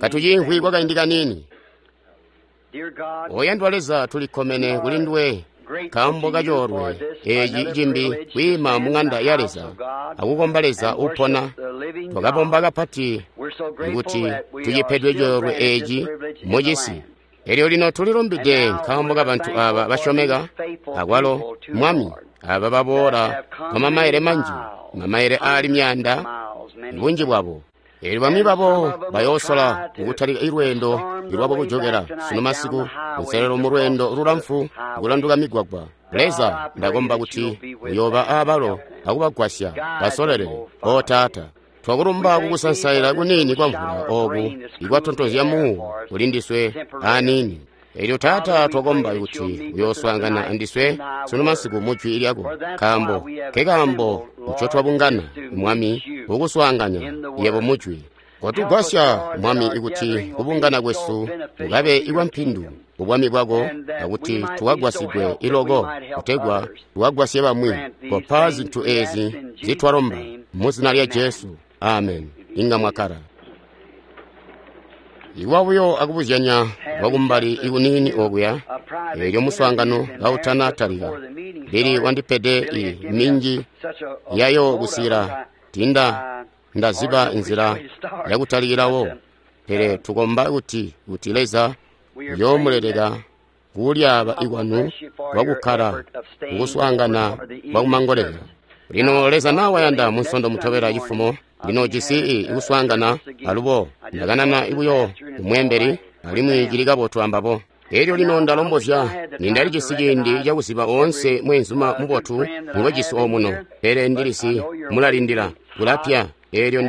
Katuciimvwi kwakaindi kaniini. Oyandwa Leza, tulikkomene kuli nduwe nkaambo kacoolwe eeci cimbi kwiima mu ŋanda ya Leza akukomba Leza uupona. Twakabomba kapati kuti tucipedwe coolwe eeci mucisi. Elyo lino tulilumbide nkaambo kabantu aaba basyomeka, akwalo Mwami, aaba baboola kwamamaile manji, mamaile aali myaanda, bunji bwabo. Elyo bamwi babo bayoosola kutalika lweendo lwabo kujokela sunu masiku, kunselelo mu lweendo lulamfu kulanduka migwagwa. Leza, ndakomba kuti uyooba aabalo akubagwasya basololele. O Taata, twakulumba kukusansaila kuniini kwa mvula ooku ikwatontozya muuwo kuli ndiswe aaniini. Elyo Taata, twakomba kuti uyooswaangana andiswe sunu masiku mu Jwi lyako, nkaambo nkekaambo ncotwabungana, Mwami, kukuswaanganya yebo mu Jwi. Kotugwasya, Mwami, kuti kubungana kwesu kukabe ikwampindu ku bwami bwako, akuti tukagwasigwe iloko kutegwa tukagwasye bamwi. Kopa zintu eezi nzitwalomba mu zina lya Jesu. Amen. Inga mwakkala. Ikuba buyo akubuzyanya kwakumbali ikuniini okuya, eelyo muswaangano kautana talika, Billy wandipede i minji yayo kusikila tinda ndaziba nzila yakutalikilawo. Pele tukomba kuti kuti Leza uyoomuleleka kulyaaba ikwanu kwakukkala kukuswaangana kwakumangolela. Lino Leza nawayanda munsondo mutobela cifumo, ndinoojisi ikuswaangana alubo ndakanana buyo kumweembeli alimwi cili kabotu ambabo. Elyo lino ndalombozya nindalijisi ciindi cakuziba oonse mweenzuma mubotu ngwejisi omuno, pele ndilisi mulalindila kulapya. Elyo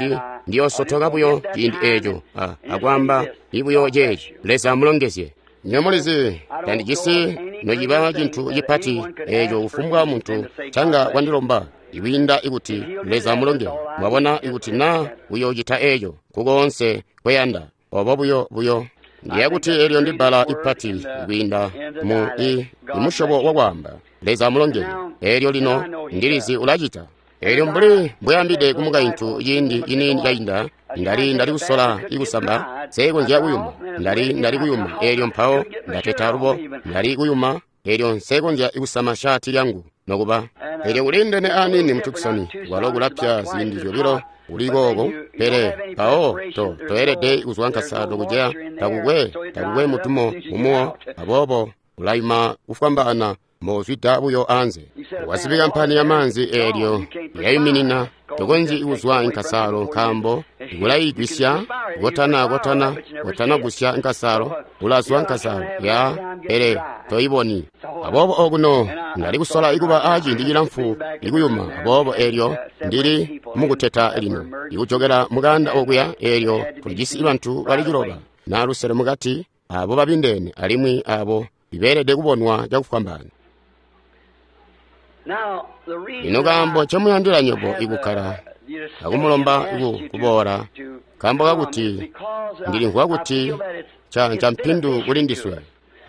ndiyoosotoka buyo ciindi eeco akwaamba ibuyo ceeci. Leza amulongezye. Nyo mulizi, tandijisi nociba cintu cipati eeco kufumbwa muntu canga wandilomba ikwiinda ikuti Leza amulongezye. Mwabona, ikuti naa uyoocita eeco kukoonse kweyanda, obo buyo buyo. Ndiya kuti elyo ndibbala ipati kwiinda mu imusyobo wakwaamba. Leza amulongezye. Elyo lino ndilizi ulacita. Elyo mbuli mbweyambide kumukaintu ciindi ciniini cainda, ndali kusola ikusamba, nsekonzya kuyuma. Ndali kuyuma, elyo mpawo ndateta alubo, ndali kuyuma, elyo nsekonzya kusama shaati lyangu nokuba. Elyo kuliindene aniini mu Tucson, kwalo kulapya ziindi zyobilo kuli kooko, pele mpawo toelede kuzwa nkasaalo kuceya, takukwe mutumo mumuwo, aboobo ulayuma kufwambaana mbozwida buyo anze. Wasibika mpani ya maanzi eelyo yayuminina, tokonzyi kuzwa nkasaalo nkaambo kulayigwisya kotanagusya nkasaalo, ulazwa nkasaalo ya pele toyiboni. Aboobo okuno ndali kusola ikuba aciindi cilamfu ikuyuma, aboobo eelyo ndili mukuteta lino ikujokela mukanda okuya. Eelyo tulijisi bantu bali 9 na 5 mukati, abo babindeene alimwi abo ibeelede kubonwa cakufwambaana. Lino kaambo ncomuyandila nywebo ikukkala akumulomba kuboola, nkaambo kakuti ndilimvwa kuti ncampindu kuli ndiswe.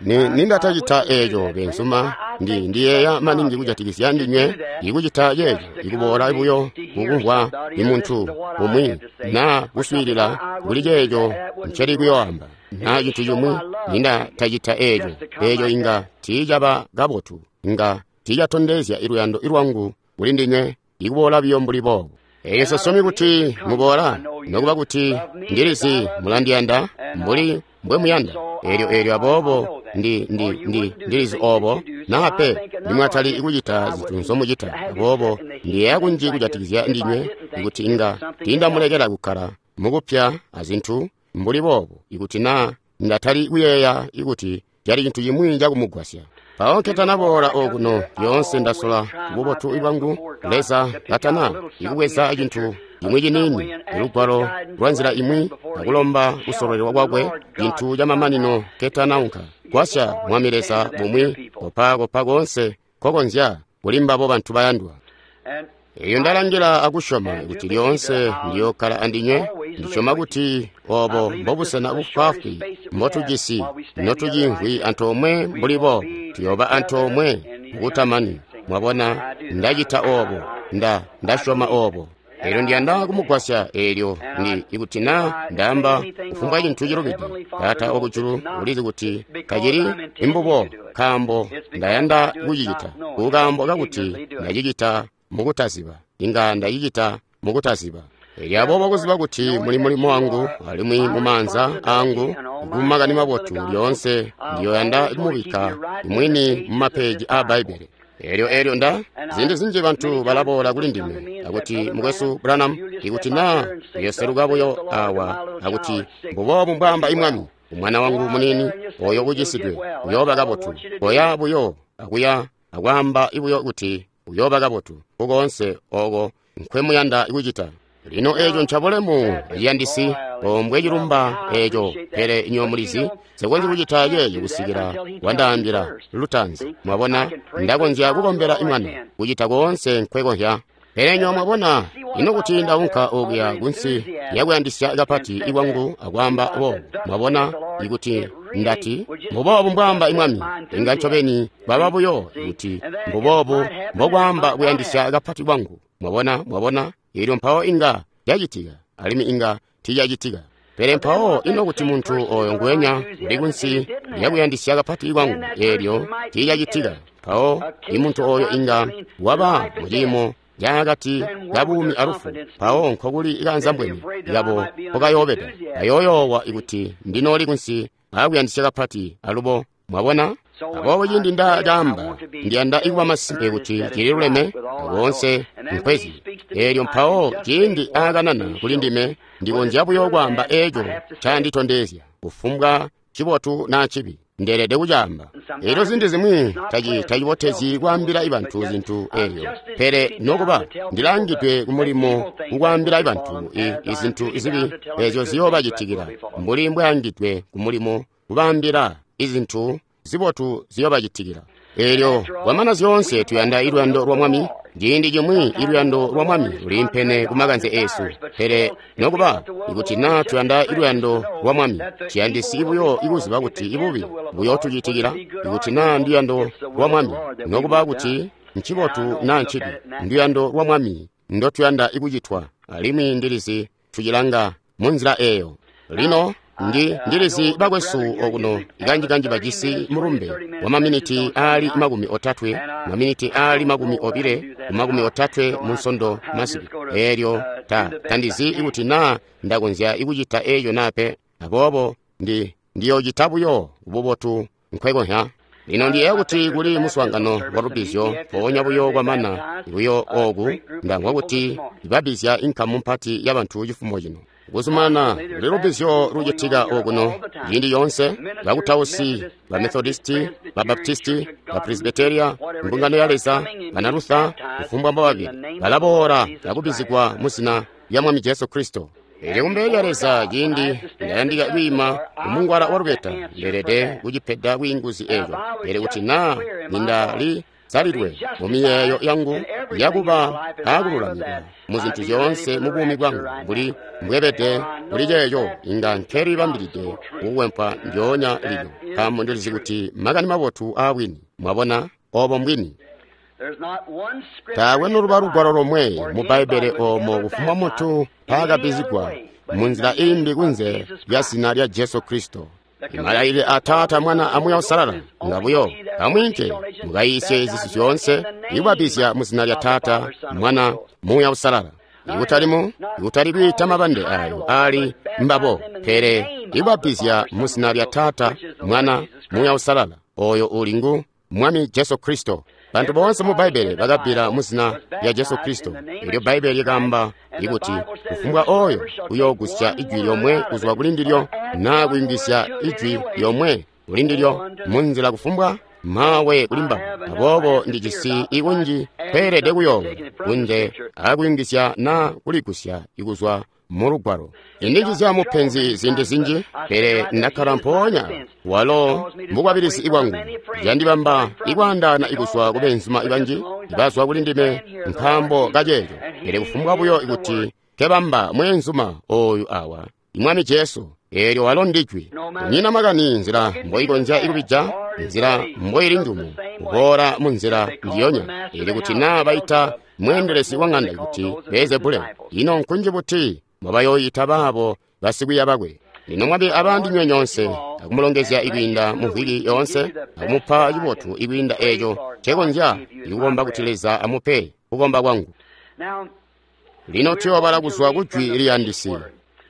Nindatacita eeco beenzuma, ndiyeeya maningi kujatikizya ndinywe ikucita ceeco, ikuboola buyo kukumvwa imuntu umwi naa kuswiilila kuli ceeco nceli kuyoamba naa cintu cimwi. Nindatacita eeco, eeco inga tiicaba kabotu, inga tiicatondezya iluyando lwangu kuli ndinywe ikuboola buyo mbuli boobo. Elyo sasyomi kuti muboola, nokuba kuti ndilizi mulandiyanda mbuli mbwemuyanda. Elyo aboobo ndilizi oobo, naa pe nimwatali kucita zintu nzomucita. Aboobo ndiyeeya kunji kujatikizya ndinywe ikuti inga tiindamulekela kukkala mukupya azintu mbuli boobo, ikuti naa ndatali kuyeeya ikuti cali cintu cimwi cakumugwasya. Mpawo nketanaboola okuno lyoonse ndasola bubotu bwangu Leza katana ikubweza cintu cimwi ciniini, lugwalo lwa nzila imwi, akulomba kusololelwa kwakwe, cintu camamanino nketanaunka. Gwasya Mwami Leza bumwi, kopa koonse kokonzya kuli mbabo bantu bayandwa. Eyo ndalangila akusyoma kuti lyoonse ndiyookkala andinywe. Ndisyoma kuti oobo mbobusena bufwaafwi mbotujisi notuciimvwi antoomwe mbuli boobo, tuyooba antoomwe mukutamani. Mwabona, ndacita oobo, ndasyoma oobo. Elyo ndiyanda kumugwasya. Elyo ndi ikuti na ndaamba kufumbwa cintu cilubide, Taata wakujulu ulizi kuti tacili imbubo, nkaambo ndayanda kucicita, kukaambo kakuti ndacicita mukutaziba. Inga ndacicita mukutaziba. Elyo aboobo kuziba kuti muli mulimo wangu alimwi mumaanza angu kumakani mabotu lyoonse ndiyoyanda kumubikka mwini mumapeji aa Bbaibbele. Elyo nda ziindi zinji bantu balaboola kuli ndime akuti, Mukwesu Branham, ikuti na uyoseluka buyo awa akuti mbuboobu mbwaamba imwami, umwana wangu muniini oyo ucisidwe uyooba kabotu. Koya buyo akuya akwaamba buyo kuti uyooba kabotu kukoonse oko nkwemuyanda kucita. Lino eco ncabulemu ciyandisi ombwe cilumba eco, pele inywe mulizi nsikonzyi kucita ceeco kusikila wandaambila lutaanzi. Mwabona, ndakonzya kukombela imwana kucita koonse nkwekonzya. Pele inywe mwabona, ino kuti ndaunka okuya kunsi yakuyandisya kapati ikwangu akwaamba boobu. Mwabona, ikuti ndati mbuboobu mbwaamba imwami, inga ncobeni baba buyo kuti mbuboobu mbokwaamba kuyandisya kapati kwangu. Mwabona, mwabona, elyo mpawo inga yacitika, alimwi inga tiiyacitika. Pele mpawo ino kuti muntu oyo nguwenya uli kunsi lyakuyandisya kapati kwangu, elyo tiiyacitika, mpawo imuntu oyo inga waba muciimo caakati kabuumi alufu. Mpawo nkokuli ikanzambweni kabo mpokayoobeda, kayooyoowa ikuti ndinooli kunsi aakuyandisya kapati alubo. Mwabona? Aboobo ciindi nda caamba, ndiyanda kuba masimpe kuti cililuleme koonse nkwezi. Elyo mpawo ciindi aakanana kuli ndime, ndikonzya buyo kwaamba eco canditondezya, kufumbwa cibotu naa cibi, ndeelede kucaamba. Elyo ziindi zimwi tacibotezyi kwaambila bantu zintu elyo, pele nokuba ndilangidwe kumulimo kukwaambila bantu izintu zibi ezyo ziyoobacitikila, mbuli mbwaangidwe kumulimo kubaambila izintu zibotu ziyobacitikila. Elyo kwamana zyoonse tuyanda iluyando lwa Mwami. Ciindi cimwi iluyando lwa Mwami luliimpene ku makanze eesu, pele nokuba ikuti naa tuyanda iluyando lwa Mwami, ciyandisi buyo ikuziba kuti ibubi buyootucitikila. Ikuti naa nduyando lwa Mwami, nokuba kuti ncibotu naa ncibi, nduyando lwa Mwami ndotuyanda ikucitwa, alimwi ndilizi tucilanga munzila eeyo. Lino ndilizi bakwesu okuno kanji-kanji bajisi mulumbe wa maminiti aali 30, maminiti aali 20 ku 30 mu Nsondo masiku. Elyo tandizi ikuti naa ndakonzya ikucita eco naa pe. Aboobo ndiyoocita buyo bubotu nkwekonzya. Lino ndiyeeya kuti kuli muswaangano wa lubbizyo mpoonya buyo kwamana buyo ooku, ndamvwa kuti babbizya inkamu mpati yabantu cifumo cino. Kuzumana kuli lubbizyo lucitika okuno ciindi yoonse, bakutausi, ba Methodisti, ba Baptisti, ba Presbyteria, mbungano ya Leza, bana Luther, kufumbwa mbababili, balaboola akubbizigwa mu zina lya Mwami Jesu Kristo. Elyo kumbele lya Leza ciindi ndayandika kwiima kumungwala wa lubeta, ndeelede kucipeda bwiinguzi eco. Pele kuti naa nindali salidwe mu miyeeyo yangu yakuba aakululamikwa mu zintu zyoonse mu buumi bwangu mbuli mbwebede kuli ceeco, inga nkelibambilide kukwempwa ndyoonya lino, nkaambo ndilizi kuti makani mabotu aabwini. Mwabona, obo mbwini. Taakwe noluba lugwalo lomwe mu Bbaibbele oomo kufumbwa muntu mpaakabbizigwa munzila imbi kunze lya zina lya Jesu Kristo. Malailile a Taata, Mwana a Muuya Uusalala ngabuyo, amwiinke mukayiisye zisi zyoonse, ikubabbizya mu zina lya Taata, Mwana, Muuya Uusalala. Ikutali kwiita mabande ayo aali mbabo, pele ikubabbizya mu zina lya Taata, Mwana, Muuya Uusalala, oyo uli ngu Mwami Jesu Kristo. Bantu boonse mu Bbaibbele bakabbila mu zina lya Jesu Kristo. Elyo Bbaibbele lyakaamba ikuti kufumbwa oyo uyoogusya ijwi lyomwe kuzwa kuli ndilyo, naa kuyungizya ijwi lyomwe kuli ndilyo munzila kufumbwa, mawe kuli mbabo. Aboobo ndijisi ikunji kweelede kuyoowa kunze akuyungizya naa kuligusya ikuzwa mu lugwalo. Indinjizya mupenzi ziindi zinji, pele ndakkala mpoonya walo mbukwabilizi bwangu. Candibamba ikwaandaana ikuzwa ku beenzuma banji ibazwa kuli ndime nkaambo kaceeco. Pele kufumbwa buyo kuti kebamba mweenzuma oyu awa, Mwami Jesu, eelyo walo ndijwi. Kunyina makani nzila mboikonzya ikubija, nzila mboili njumu, kuboola mu nzila njiyonya. Eelyo kuti naa baita mweendelezi wa ng'anda kuti Beelzebule, ino nkunji buti mwabayooyita baabo basikwiiya bakwe. Lino Mwami abaandinywe nyoonse, akumulongezya ikwiinda mu mvwiki yoonse, akumupa cibotu ikwiinda eeco ncekonzya ikukomba kuti Leza amupe kukomba kwangu. Lino tuyoobala kuzwa ku Jwi liyandisi.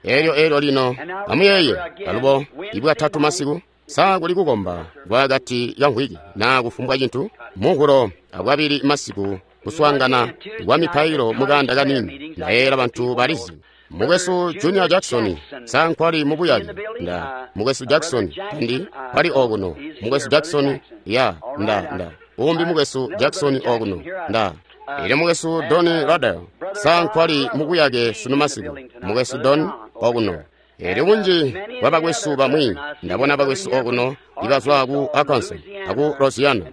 Elyo lino amuyeeye alubo ibwatatu masiku, sa kuli kukomba kwakati ka mvwiki naa kufumbwa cintu Muhulo abwabili masiku kuswaangana kwa mipailo mukanda kanini. Ndayeeyela bantu balizi. Mukwesu Junior Jackson sa nkwali mubuyaki? Nda Mukwesu Jackson ndi kwali okuno. Mukwesu Jackson ya nda umbi Mukwesu Jackson okuno nda. Elyo Mukwesu Don Ruddell sa nkwali mubuyake sunu masiku? Mukwesu Don okuno. Elyo bunji bwa bakwesu bamwi ndabona bakwesu okuno ibazwa ku Arkansas aku Louisiana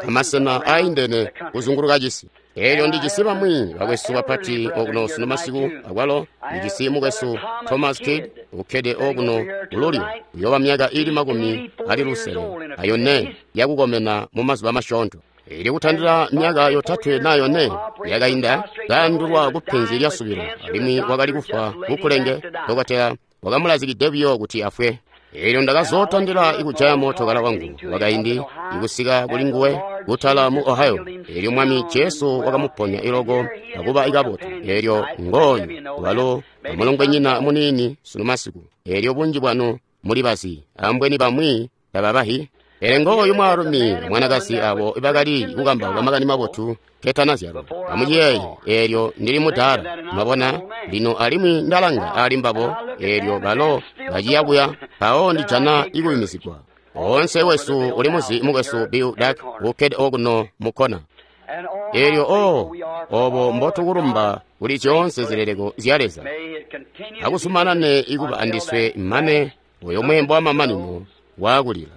amasena aindene kuzunguluka cisi. Elyo ndijisi bamwi bakwesu bapati okuno sunu masiku akwalo ndijisi mukwesu Thomas Kidd ukkede okuno kululyo uyoba myaka ili 64 yakukomena mu mazuba masyoonto. Elyo kutandila myaka 3 na 4 yakainda kaandulwa kupenzi lya subilo alimwi wakali kufwa kukulenge. Dokotela wakamulazikide buyo kuti afwe. Elyo ndakazotandila ikujaya mootokala wangu wakaindi ikusika kuli nguwe kutala mu Ohio. Elyo Mwami Jesu wakamuponya iloko akuba ikabotu. Elyo ngooyu walo amulongwenyina muniini sunu masiku. Elyo bunji bwanu muli bazi, ambweni bamwi tababahi. Pele ngooyu mwaalumi mwanakazi abo ibakali kukambauka makani mabotu ketanazyalwa. Amuciyeeye, eelyo ndili mudaala, mwabona lino alimwi ndalanga ali mbabo, eelyo balo baciya kuya, mpawo ndijana ikuyumizigwa. Oonse wesu uli muzi mukwesu Bill Duck ukkede okuno mukkona. Eelyo obo mbotukulumba kuli zyoonse zileleko zya Leza. Akuzumanane ikuba andiswe mane oyo mweembo wamamanino waakulila.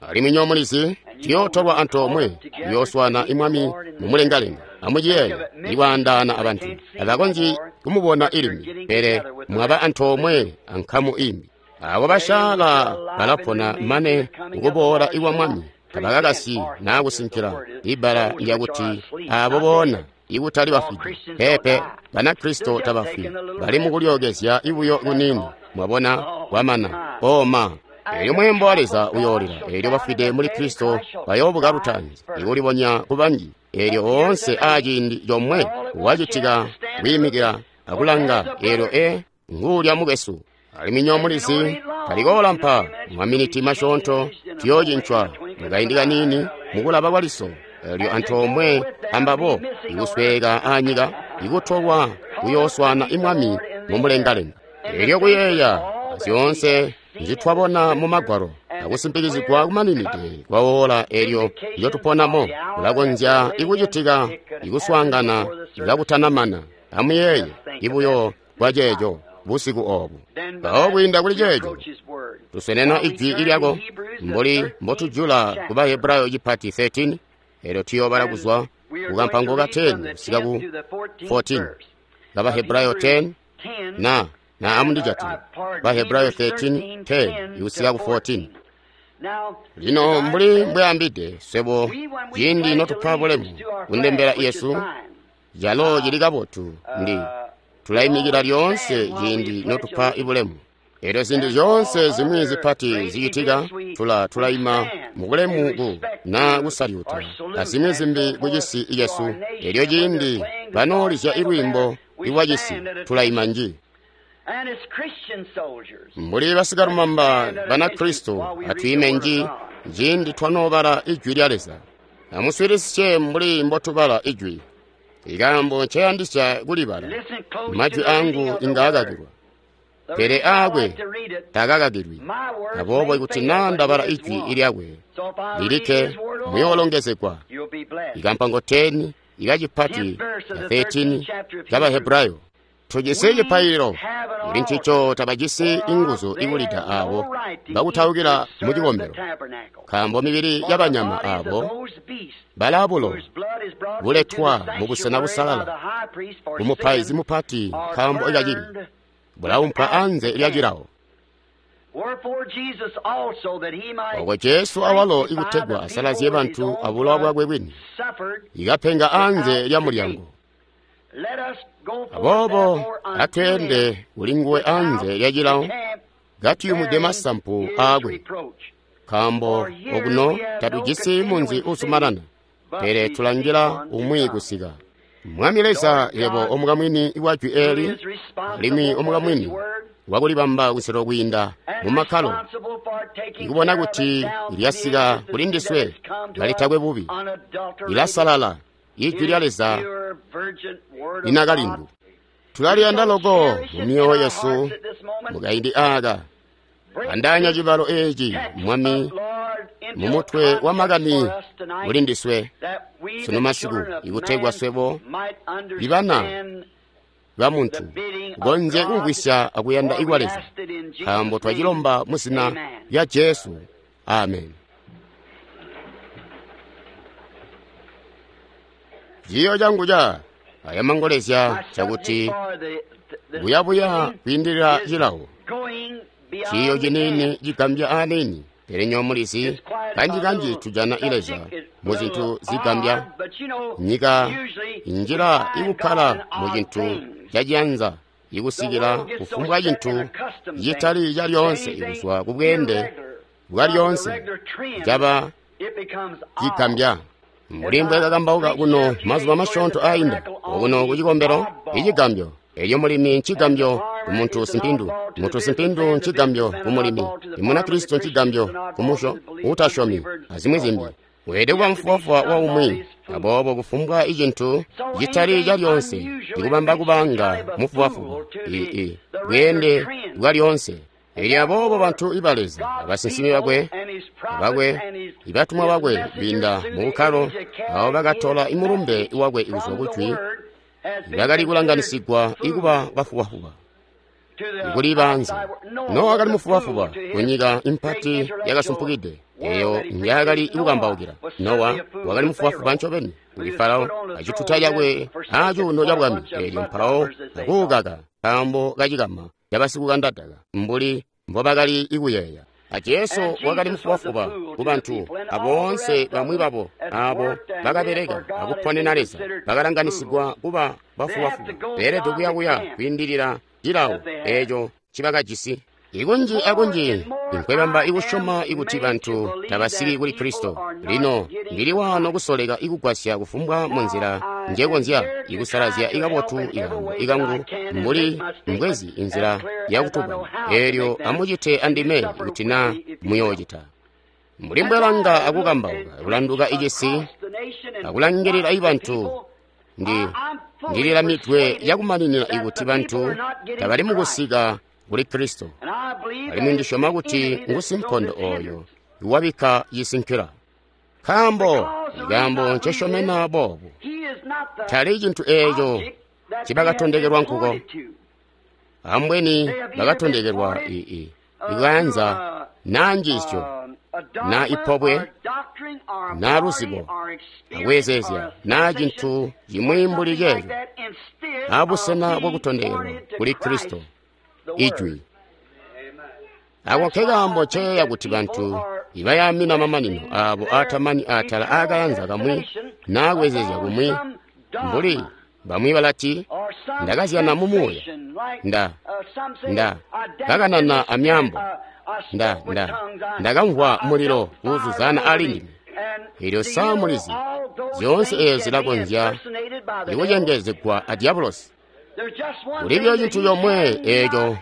Alimwi nyo mulizi tuyootolwa antoomwe kuyooswana imwami mumulengalenga. Amuciyeeye, ikwaandaana abantu abakonzyi kumubona ilimi, pele mwaba antoomwe ankamu imbi. Abo basyaala balapona mane kukuboola ikwa Mwami, tabakakasyi naa kusinkila. Ibbala lyakuti abo boona ikutali bafwide. Peepe, Banakristo tabafwi, bali mukulyookezya ibuyo kuniini. Mwabona, kwamana oma. Elyo mweembo wa Leza uyoolila, elyo bafwide muli Kristo bayoobuka lutaanzi, ikulibonya kubanji. Elyo oonse aaciindi comwe wacitika kwiimikila akulanga, elyo nguulya mukwesu. Alimwi nyo mulizi talikoolampa maminiti masyoonto tuyoocincwa mukaindi kaniini mukulaba kwa liso. Elyo antoomwe ambabo ikusweeka aanyika ikutolwa kuyooswana imwami mumulengalenga. Elyo kuyeeya zyoonse nzitwabona mu Magwalo akusimpikizigwa kumaninide kwa ola elyo ndyotuponamo, kulakonzya ikucitika ikuswaangana kakutanamana. Amuyeeye ibuyo bwa ceeco busiku obu. Mpawo kwiinda kuli ceeco tusenena ijwi lyako mbuli mbotujula ku Bahebrayo cipati 13. Elyo tuyoobala kuzwa kukampango ka 10 kusika ku 14 ka Bahebrayo 10 na amundijatile Bahebrayo 13:10 ikusika ku 14. Lino mbuli mbweambide swebo ciindi notupa bulemu kundembela Yesu, calo cili kabotu ndi tulaimikila lyoonse ciindi notupa ibulemu. Elyo zintu zyoonse zimwi zipati zicitika tulaima mubulemu ku na kusalyuta azimwi zimbi ku cisi cesu. Elyo ciindi banoolizya ilwiimbo lwa cisi tulaima nji. Mbuli basikalumamba Banakristo atwiime nji ciindi twanoobala Ijwi lya Leza. Amuswiilisye mbuli mbotubala Ijwi. Ikaambo nceyandisya kulibala, majwi angu inga akakilwa, pele aakwe takakakilwi. Aboobo ikuti naa ndabala Ijwi lyakwe lilikke, muyoolongezegwa. Ikampango 10 ikacipati ya 13 ka Bahebrayo. Tujisi cipaililo kuli ncico tabajisi inguzu ikulida abo bakutaukila mu cikombelo, nkaambo mibili yabanyama abo balaabulo buletwa mubusena busalala kumupaizi mupati nkaambo kacibi bulaumpwa anze lya cilawo. Oko Jesu awalo ikutegwa asalazye bantu abulowa bwakwe bwini, ikapenga anze lya mulyango. Aboobo atweende kulinguwe anze lya cilawo, katuyumwide masampu aakwe, nkaambo okuno tatujisi munzi uzumanana, pele tulangila umwi kusika. Mwami Leza, yebo omukamwini wa jwi eeli, alimwi omukamwini wakulibamba kuselo kwiinda mumakkalo, ikubona kuti lyasika kuli ndiswe kalitakwe bubi, lilasalala ijwi lya Leza linakalindu. Tulaliyanda loko mu myoyo yesu mukaindi aaka. Andaanya cibalo eeci, Mwami, mumutwe wa makani kuli ndiswe sunu masiku, ikutegwa swebo ibana ba muntu konzye kumvwisya akuyanda ikwa Leza, nkaambo twacilomba mu zina lya Jesu. Amen. Ciiyo cangu ca aya mangolezya cakuti buyabuya kwiindilila cilawo. Ciiyo ciniini cigambya aniini, pele nyo mulizi kanji-kanji tujana Leza mu zintu zigambya. Nyika injila ikukkala mu cintu caciyanza, ikusikila kufumbwa cintu citali calyoonse ikuzwa kubweende bwa lyoonse caba cigambya. Mbuli mbwekakambauka kuno mazuba masyoonto aainda, okuno kucikombelo icigambyo. Elyo mulimi ncigambyo kumuntu simpindu, muntu simpindu ncigambyo kumulimi, imunakristo ncigambyo kumusyo utasyomi, azimwi zimbi. Weelede kuba mufubafuba wa umwi, aboobo kufumbwa icintu citali calyoonse ikubamba kubanga mufubafuba bweende bwa lyoonse. Elyo aboobo bantu iba Leza, abasinsimi bakwe, ibatumwa bakwe kwiinda mu bukkalo, abo bakatola imulumbe wakwe kuzwa kujwi, bakali kulanganisigwa ikuba bafubafuba ikuli banze. Nowa wakali mufubafuba kunyika impati yakasumpukide eyo njaakali kukambaukila. Nowa wakali mufubafuba ncobeni kuli Farao acituta cakwe acuuno ca bwami, elyo mpawo akuukaka nkaambo kacikama cabasikukandadaka mbuli mbobakali ikuyeeya. A Jesu wakali mufubafuba kubantu aboonse bamwi babo abo bakabeleka akuponena Leza bakalanganisigwa kuba bafubafuba. Beelede kuyakuya kwiindilila cilawo eeco ncibakajisi. Ikunji akunji inkwebamba ikusyoma ikuti bantu tabasiki kuli Kristo. Lino ndili waano kusoleka ikugwasya kufumbwa munzila njekonzya ikusalazya ikabotu ikaambo ikangu mbuli mbwezi inzila yakutubana. Eelyo amucite andime kuti na muyoocita. Mbuli mbwelanga akukambauka kulanduka icisi akulangilila ibantu, ndililamidwe yakumaninina ikuti bantu tabali mukusika kuli Kristo. Alimwi ndisyoma kuti ngusinkondo oyo iwabikka cisinkila. Nkaambo ikaambo ncesyomena boobu tali cintu eeco ncibakatondekelwa nkuko. Ambweni bakatondekelwa ikaanza naa njiisyo naa ipobwe naa luzibo akweezeezya naa cintu cimwi mbuli ceeco, abusena bwakutondekelwa kuli Kristo ijwi. Ako nkekaambo nceeya kuti bantu ibayaamina mamanino aabo aatamani atala aakayanza kamwi naa kweezeezya kumwi, mbuli bamwi balati, ndakazyana mu muuya, nda kakanana amyaambo, ndakamvwa mulilo kuuzuzana ali ndime. Elyo sa mulizi, zyoonse eezo zilakonzya ikucengezegwa a diabolosi. Kulibyo cintu comwe eeco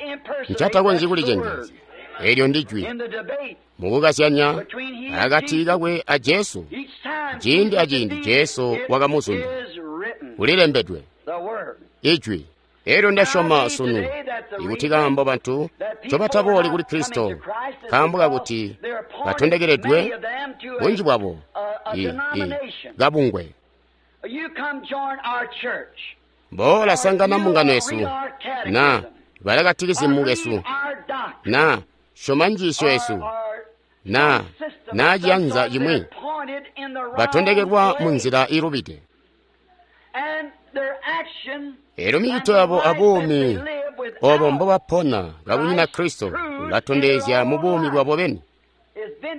ncatakonzyi kulicengezya, eelyo ndi jwi. Mukukazyanya akati kakwe a Jesu, ciindi aciindi Jesu wakamuzunda. Kulilembedwe ijwi. Elyo ndasyoma sunu ikuti kaambo bantu ncobatabooli kuli Kristo nkaambo kakuti batondekeledwe bunji bwabo kabungwe. Boola sangana mbungano yesu, na bala katikizimu kesu, na syoma njiisyo yesu, na ciyanza cimwi. Batondekelwa mu nzila ilubide. Elyo micito yabo abuumi obo mbobapona kakunyina Kristo ulatondezya mu buumi bwabo beni,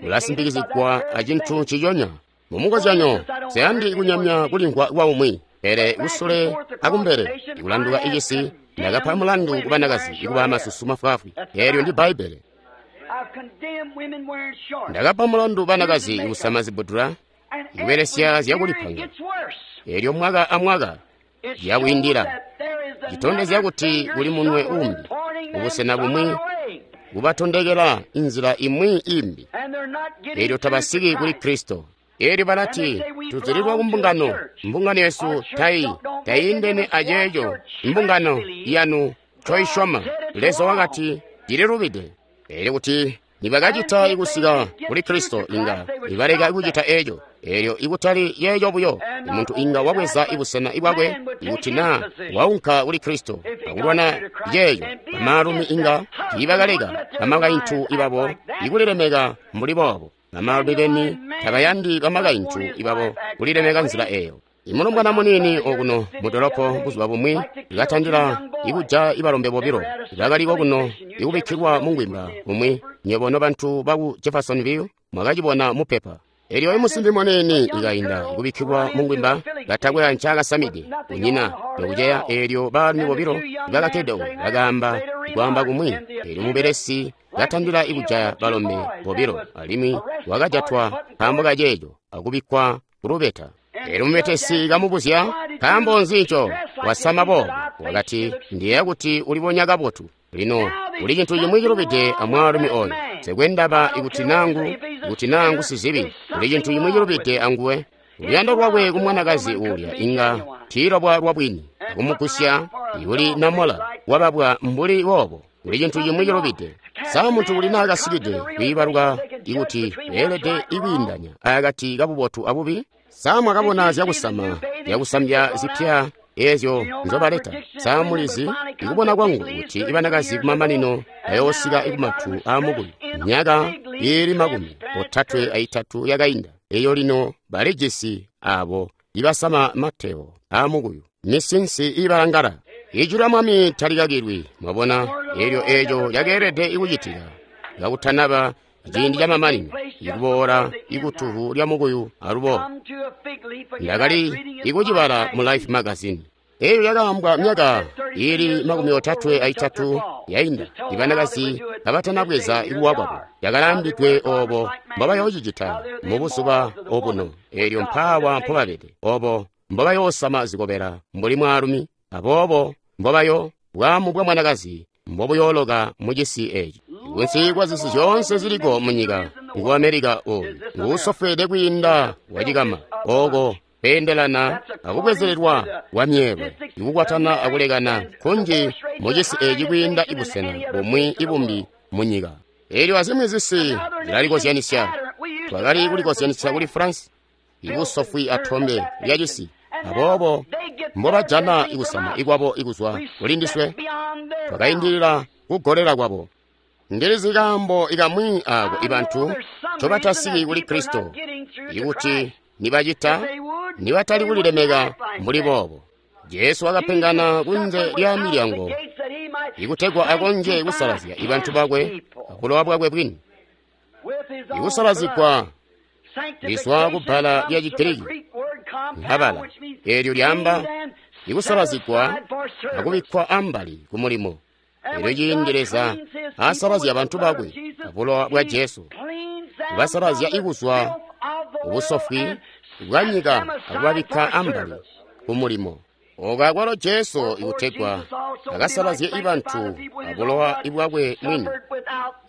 ulasimpikizigwa acintu nciconya. Mumukozyanyo, nsiyandi kunyamya kulimvwa kwa umwi. Pele kusule akumbele, ikulanduka icisi, ndakapa mulandu ku banakazi ikuba masusu mafwaafwi. Eelyo ndi Bbaibbele. Ndakapa mulandu banakazi kusama zibudula, ikubelesya zyakulipanga. Eelyo mwaka amwaka yakwiindila, citondezya kuti kuli munwe umbi, kubusena bumwi, kubatondekela inzila imwi imbi. Eelyo tabasiki kuli Kristo. Eelyo balati, tuzulilwa ku mbungano, mbungano yesu tayiindene aceeco mbungano yanu ncoisyoma. Leza wakati, cililubide. Eelyo kuti nibakacita ikusika kuli Kristo, inga nibaleka kucita eeco. Eelyo ikutali yeeco buyo, muntu inga wabweza ibusena bwakwe ikuti naa waunka kuli Kristo akulwana yeeyo. Bamaalumi inga tiibakaleka bamakaintu ibabo ikulilemeka mbuli boobo. Bamaalumi beni tabayandi bamakaintu ibabo kulilemeka nzila eeyo. Imulombwana muniini okuno mu dolopo buzuba bumwi ikatandila ikuja ibalombe bobilo bakali kokuno ikubikkilwa mungwimba kumwi. Nywebo nobantu baku Jeffersonville mwakacibona mupepa. Elyo imusimbi muniini ikainda ikubikkilwa mungwimba katakwe ncaakasamide kunyina nokuceya. Eelyo baalumi bobilo ibakakkede oku bakaamba kwaamba kumwi. Eelyo mubelesi katandila ikujaya balombe bobilo alimwi wakajatwa nkaambo kaceeco akubikkwa kulubeta. Eelyo mubetesi kamubuzya, nkaambo nzi nco wasama boobo? Wakati, ndiyeeya kuti ulibonya kabotu. Lino kuli cintu cimwi cilubide amwaalumi oyo. Nsekwe ndaba ikuti nangu sizibi, kuli cintu cimwi cilubide anguwe. Luyando lwakwe ku mwanakazi uulya inga tiilwabwa lwabwini, akumugusya ikuli namola wababwa mbuli boobo. Kuli cintu cimwi cilubide. Sa muntu kuli naakasikide kwiibaluka ikuti beelede ikwiindanya akati kabubotu abubi? Sa mwakabona zyakusama zyakusambya zipya eezyo nzobaleta? Sa mulizi ikubona kwangu kuti ibanakazi kumamanino bayoosika ikumatu aamukuyu myaka iili 33 yakainda. Eyo lino balijisi abo ibasama mateo aamukuyu, misinsi ibalangala. Ijwi lya Mwami talikakilwi, mwabona. Eelyo eeco cakeelede ikucitika kakutanaba ciindi camamanino, ikuboola ikutuhu lya mukuyu alubo. Ndakali ikucibala mu Life magazine. Eyo yakaambwa myaka iili 33 yainda, ibanakazi kabatanabweza ikuwa kwabo. Yakalaambidwe oobo mbobayoocicita mubuzuba obuno. Eelyo mpaawa mpobabede, obo mbobayoosama zikobela mbuli mwaalumi, aboobo mbobayo bwaamu bwa mwanakazi mbobuyooloka mucisi eeci. Kunsi kwa zisi zyoonse ziliko munyika, ngu Amerika oyu nguusofweede kwiinda wacikama, ooko kweendelana akubwezelelwa kwa myeelwe, ikukwatana akulekana kunji mucisi eeci kwiinda ibusena bumwi ibumbi munyika. Eelyo azimwi zisi zilalikozyanisya. Twakali kulikozyanisya kuli France, ibusofwi atombe lya cisi. Aboobo mbobajana ikusama ikwabo ikuzwa kulindiswe, twakaindilila kugolela kwabo. Ndilizi kaambo ikamwi aako ibantu ncobatasiki kuli Kristo, ikuti nibacita nibatali kulilemeka mbuli boobo. Jesu wakapengana kunze lya milyango ikutegwa akonzye kusalazya ibantu bakwe abulowa bwakwe bwini. Ikusalazigwa lizwa kubbala lya Chigiriki nkabala, eelyo lyaamba ikusalazigwa akubikkwa ambali ku mulimo. Eelyo ciindi Leza asalazya bantu bakwe abulowa bwa Jesu, kubasalazya ikuzwa ubusofwi bwa nyika akubabikka ambali ku mulimo. Ooko akwalo Jesu ikutegwa akasalazye ibantu abulowa bwakwe mwini,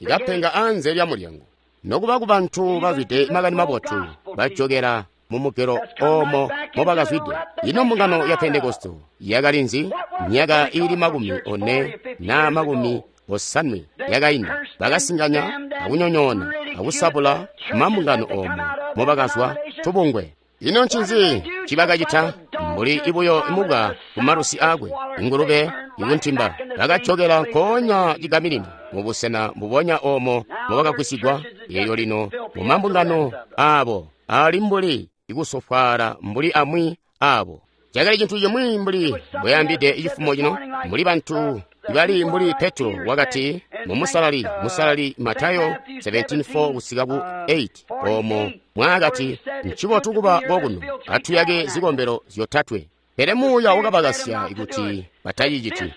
ikapenga anze lya mulyango. Nokuba ku bantu bazwide makani mabotu bajokela mumugelo oomo mobakazwide. Ino mbungano ya Pentekoste yakali nzi? Myaka iili 40 na 50 yakainda, bakasinganya akunyonyoona akusabula mambungano oomo mobakazwa tubungwe. Ino ncinzi ncibakacita? Mbuli ibuyo mubwa kumalusi aakwe, ingulube ikuntimba, bakajokela nkoonya cigaminina mubusena mbubonya oomo mobakagwisigwa. Eelyo lino mumambungano aabo ali mbuli ikusofwaala mbuli amwi aabo. Cakali cintu cimwi mbuli mbweyambide cifumo cino, mbuli bantu ibali mbuli Petro wakati mumusalali musalali Matayo 17:4 kusika ku 8, oomo mwaakati, ncibotu kuba kokuno, atuyake zikombelo zyotatwe. Pele Muuya wakabakasya kuti bataciciti.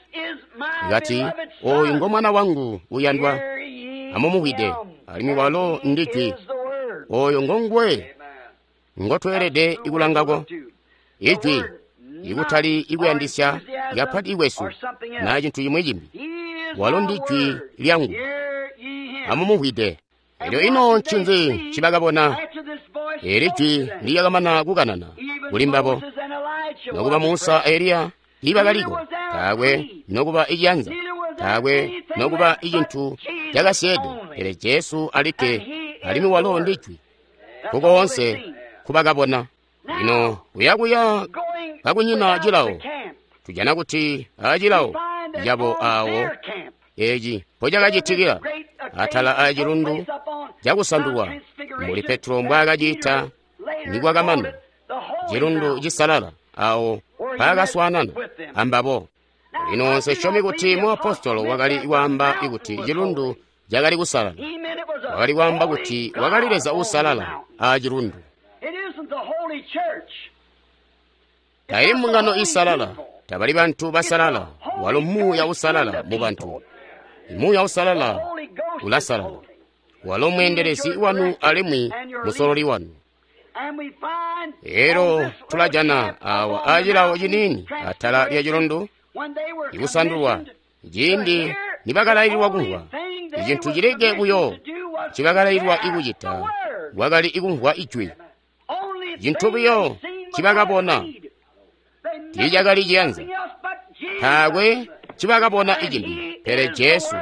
Kati, oyu ngo mwana wangu uyandwa, amumumvwide, alimwi walo ndi Jwi. Oyo ngonguwe ngotweelede ikulangako. Ijwi, ikutali ikuyandisya kapati ikwesu na cintu cimwi cimbi. Walo ndi Jwi lyangu, amumumvwide. Elyo ino ncinzi ncibakabona? Eli jwi lyakamana kukanana kuli mbabo. Nokuba Musa a Eliya tiibakaliko, taakwe nokuba iciyanza, taakwe nokuba icintu cakasyeede, pele Jesu alikke, alimwi walo ndi Jwi. Kukoonse nkubakabona. Lino kuyakuya kakunyina cilawo, tujana kuti acilawo cabo awo eci mpocakacitikila atala a cilundu cakusandulwa, mbuli Petro mbwaakaciita nikwakamana cilundu cisalala awo mpaakaswaanana ambabo. Lino nsesyomi kuti muapostolo wakali kwaamba kuti cilundu cakali kusalala. Wakali kwaamba kuti wakali Leza uusalala a cilundu. Taili mbungano iisalala, tabali bantu basalala, walo Muuya uusalala mu bantu. Muuya uusalala ulasalala. Walo mweendelezi wanu alimwi musololi wanu. Elo tulajana awa acilawo ciniini atala lya cilundu ikusandulwa, ciindi nibakalaililwa kumvwa. Icintu cilikke buyo ncibakalaililwa ikucita kwakali ikumvwa ijwi. Cintu buyo ncibakabona tiicakali ciyanza. Taakwe ncibakabona icimbi pele Jesu,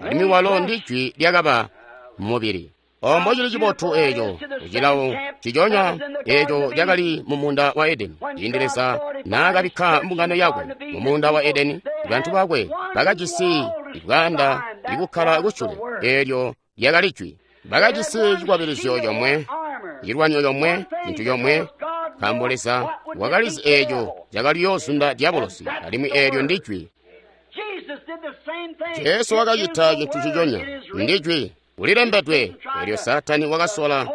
alimwi walo ndi Jwi lyakaba mubili. Ombo cili cibotu eeco kucilawo ciconya eeco cakali mu muunda wa Edeni. Ciindi Leza naakabikka mbungano yakwe mu muunda wa Edeni, bantu bakwe bakajisi ibwaanda ikukkala kusyule, eelyo lyakali Jwi. Bakajisi cikwabilizyo comwe, cilwanyo comwe, cintu comwe, nkaambo Leza wakalizi eeco cakaliyoozunda diabolosi, alimwi eelyo ndi Jwi. Jesu wakacita cintu ciconya, ndi Jwi. Kulilembedwe. Elyo Saatani wakasola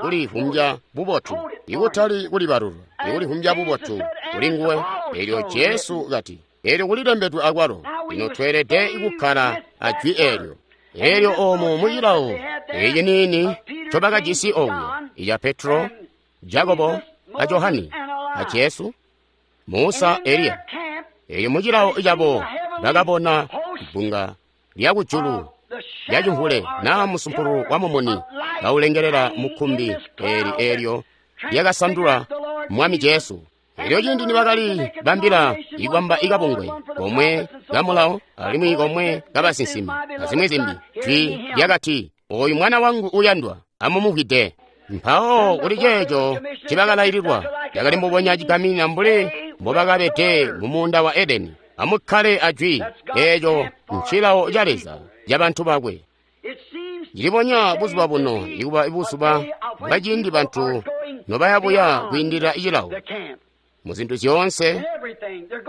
kulivumbya bubotu, ikutali kulibalulwa, ikulivumbya bubotu kuli nguwe. Elyo Jesu kati, elyo kulilembedwe akwalo. Lino tweelede kukkala a Jwi eelyo. Elyo oomu mucilawo eci niini ncobakajisi okuya, ica Petro, Jakobo, a Johani, a Jesu, Musa, Eliya. Elyo mucilawo cabo bakabona bbunga lya kujulu lyacimvule naa musumpulu wa mumuni kaulengelela mukkumbi eeli eelyo lyakasandula Mwami Jesu. Elyo ciindi nibakali bambila ikwamba ikabungwe komwe kamulawo alimwi komwe kabasinsimi azimwi zimbi, jwi lyakati, oyu mwana wangu uyandwa, amumumvwide. Mpawo kuli ceeco ncibakalaililwa, cakali mbubonya cigaminina mbuli mbobakabede mu muunda wa Edeni. Amukkale a Jwi, eeco ncilawo ca Leza cabantu bakwe. Cilibonya buzuba buno ikuba buzuba bwaciindi bantu nobayabuya kwiindilila cilawo muzintu zyoonse,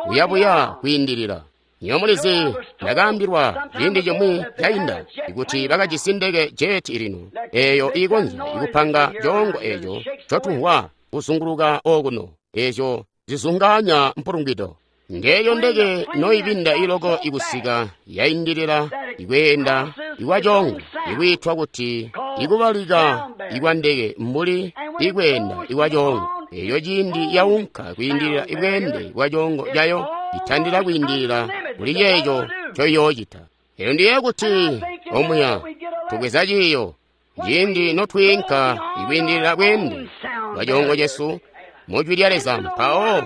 kuyabuya kwiindilila. Nyo mulizi, ndakaambilwa ciindi cimwi cainda kuti bakajisi ndeke jeti lino eeyo iikonzya ikupanga coongo eeco ncotumvwa kuzunguluka okuno, eezyo zizungaanya mpulungwido. Ngeeyo ndeke noibinda iloko ikusika yaindilila ikweenda ikwa coongo ikwiitwa kuti ikubalika ikwa ndeke mbuli ikweenda ikwa coongo. Eeyo ciindi yaunka kwiindilila ibweende bwa coongo cayo, itandila kwiindilila kuli ceeco ncoiyoocita. Elyo ndiye kuti omuya tubweza ciiyo ciindi notwiinka ikwiindilila bweende bwa coongo cesu mu Jwi lya Leza, mpawo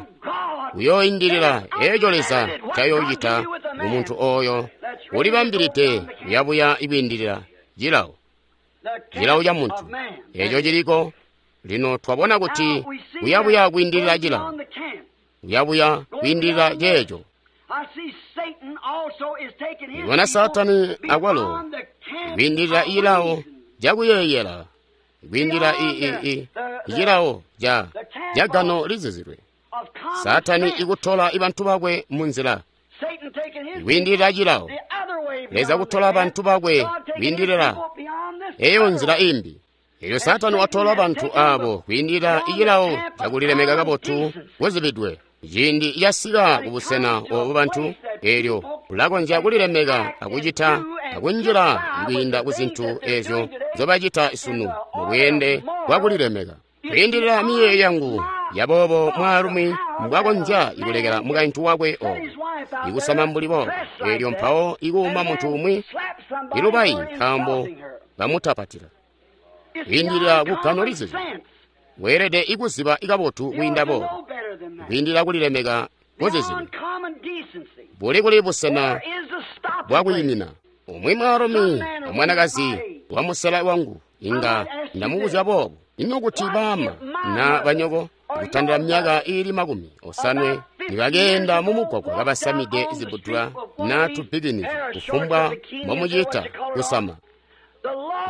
uyooindilila eeco Leza ncayoocita kumuntu ooyo ulibambilide kuyabuya ikwiindilila cilawo, cilawo ca muntu eeco ciliko. Lino twabona kuti kuyabuya kwiindilila cilawo, kuyabuya kwiindilila ceeco. Ndibona Saatani akwalo kwiindilila cilawo cakuyeeyela, kwiindilila icilawo ca gano lizizilwe. Saatani ikutola bantu bakwe munzila kwiindilila cilawo, Leza kutola bantu bakwe kwiindilila eyo nzila imbi. Elyo Saatani watola bantu abo kwiindilila icilawo cakulilemeka kabotu kuzibidwe. Ciindi casika kubusena obu bantu, eelyo ulakonzya kulilemeka akucita akunjila kwiinda ku zintu ezyo nzobacita sunu mu bweende bwa kulilemeka. Kwiindilila miyeeyo yangu yaboobo mwaalumi mbwakonzya kulekela mukaintu wakwe obo ikusama mbuli boobo, eelyo mpawo ikuuma muntu umwi ilubayi nkaambo bamutapatila. Kwiindilila kugano lizizi, weelede ikuziba kabotu kwiinda boobo, kwiindilila kulilemeka kuziziba. Buli kuli busena bwakwiimina. Umwi mwaalumi amwanakazi wa musela wangu inga ndamubuzya boobo, ino kuti baama na banyoko kutandila myaka iili 50 nibakeenda mumugwagwa kabasamide zibudula na tubikini kufumbwa mbomucita kusama.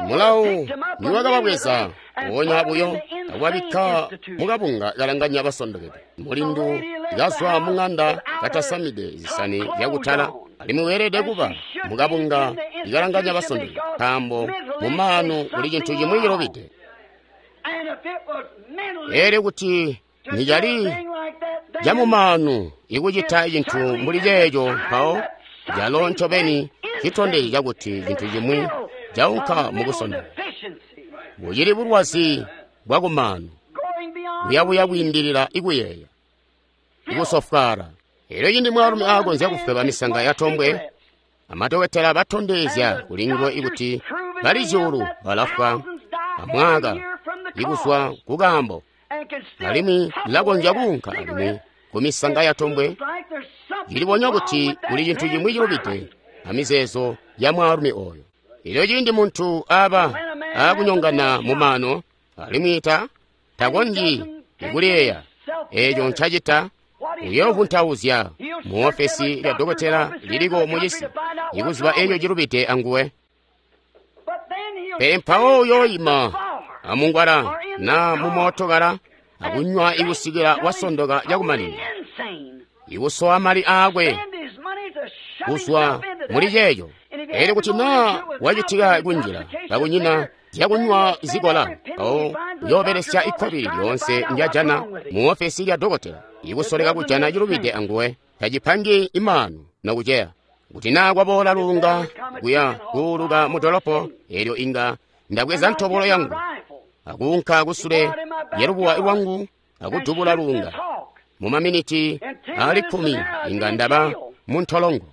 Mulawo niwakababweza mpoonya buyo akubabikka mukabunga kalanganya basondokede. Mulindu kazwa mung'anda katasamide zisani zyakutala, alimwi weelede kuba mukabunga ikalanganya basondokede, nkaambo mumaanu kuli cintu cimwi cilubide. Eelyo kuti nicali camumaanu ikucita cintu mbuli ceeco, mpawo calo ncobeni citondezyo cakuti cintu cimwi caunka mukusondoka. Bucili bulwazi bwakumaanu, buyabuya kwiindilila ikuyeeya, ikusofwaala. Eelyo cindi mwaalumi aakonzya kufweba misanga yatombwe, amadokotela batondezya kuli nguwe ikuti bali zyuulu balafwa amwaka ikuzwa kukaambo, alimwi lilakonzya kuunka alimwi kumisanga yatombwe, cilibonya kuti kuli cintu cimwi cilubide amizeezo ya mwaalumi ooyo. Eelyo ciindi muntu aba aakunyongana mumaano alimwi takonzyi kuliyeeya eeco ncacita, uyoovuntauzya mu ofesi lya dokotela liliko mucisi ikuziba eeco cilubide anguwe. Pele mpawo uyooima amungwala na mumootokala akunywa ikusikila wasondoka cakumaninina, ikusowa mali aakwe kuzwa muli ceeco. Eelyo kuti naa wacitika kunjila kakunyina zyakunywa zikola, mpawo uyoobelesya ikkobili lyoonse ndyajana mu ofesi lya dokotela ikusoleka kujana cilubide anguwe. Tacipangi imaanu nokuceya. Kuti naa kwaboola luunga kuya kuuluka mudolopo, eelyo inga ndabweza ntobolo yangu akuunka kusule lyalubuwa lwangu akudubula luunga. Mumaminiti aali 10 inga ndaba muntolongo.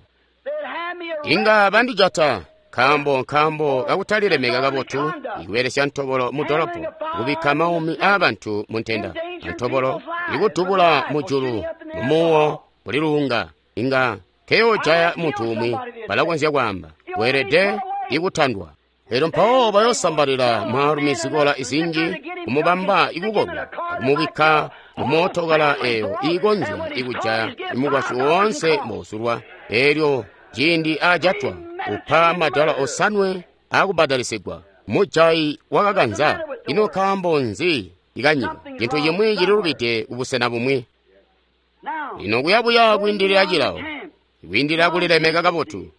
Inga bandijata nkaambo kakutalilemeka kabotu ikubelesya ntobolo mudolopo, kubikka maumi aabantu muntenda. Antobolo ikudubula mujulu mumuwo kuli luunga inga teyoojaya muntu umwi, balakonzya kwaamba weelede ikutandwa. Eelyo mpawo bayoosambalila mwaalumi zikola zinji kumubamba ikukolwa akumubikka mumootokala eeyo iikonzya ikujaya mukwasyi woonse mbouzulwa. Eelyo ciindi aajatwa upa madola 5 aakubadalisigwa. Mujayi wakakanza, ino nkaambo nzi ikanyika? Cintu cimwi cililubide kubusena bumwi. Lino kuyabuya kwiindilila cilawo, kwiindilila kulilemeka kabotu,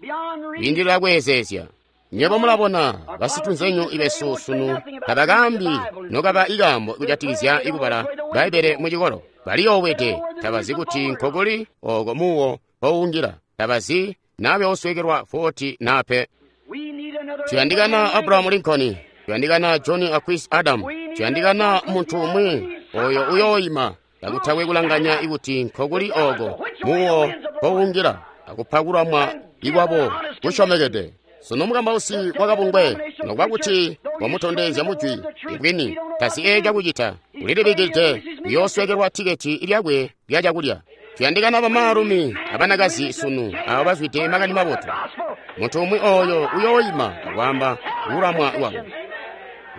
kwiindilila kweezeezya. Nywebo mulabona basitunzenyu ibesu sunu tabakaambi nokaba ikaambo kujatikizya ikubala Bbaibbele mucikolo. Baliyoowede, tabazi kuti nkokuli ooko muwo mpoungila, tabazi naa beoswekelwa 40 naa pe. Tuyandikana Abraham Lincoln, tuyandikana John Aquis Adam, tuyandikana muntu umwi oyo uyooima kakutakwe kulanganya ikuti nkokuli ooko muwo mpoungila akupakulamwa ikwabo kusyomekede. Sunu mukambausi wakabungwe nokuba kuti wamutondezya mujwi ibwini tazi eeca kucita, ulilibikide uyooswekelwa tiketi lyakwe lya cakulya. Tuyandikana bamaalumi abanakazi sunu abo bazwide makani mabotu. Muntu umwi oyo uyooima akwaamba kulamwa kwabo,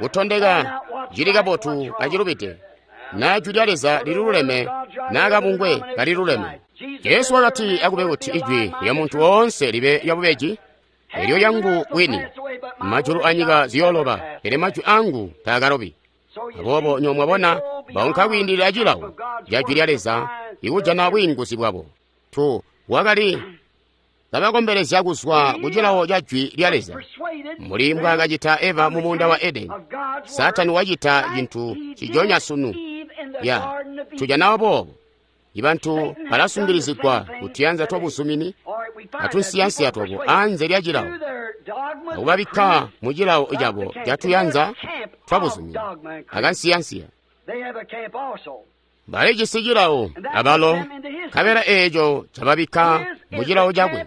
kutondeka cili kabotu acilubide, naa jwi lya Leza lililuleme naa kabungwe kaliluleme. Jesu wakati akube kuti ijwi lya muntu woonse libe lyabubeji, elyo lyangu bwini. Majulu anyika ziyooloba, pele majwi angu taakalobi. Aboobo nywebo mwabona baunka kwiindilila cilawo ca jwi lya Leza ikujana bwiinguzi bwabo. Wakali kabakombelezya kuzwa ku cilawo ca jwi lya Leza, mbuli mbwaakacita Eva mu muunda wa Edeni. Saatani wacita cintu cijonya sunu. Ya tujana boobo. Ibantu balasungilizigwa kutuyanza twabuzumini atunsiyansiya twabo anze lya cilawo, akubabikka mu cilawo cabo catuyanza twabuzumini akansiyansiya. Balijisi cilawo abalo, nkabela eeco cababikka mu cilawo cakwe.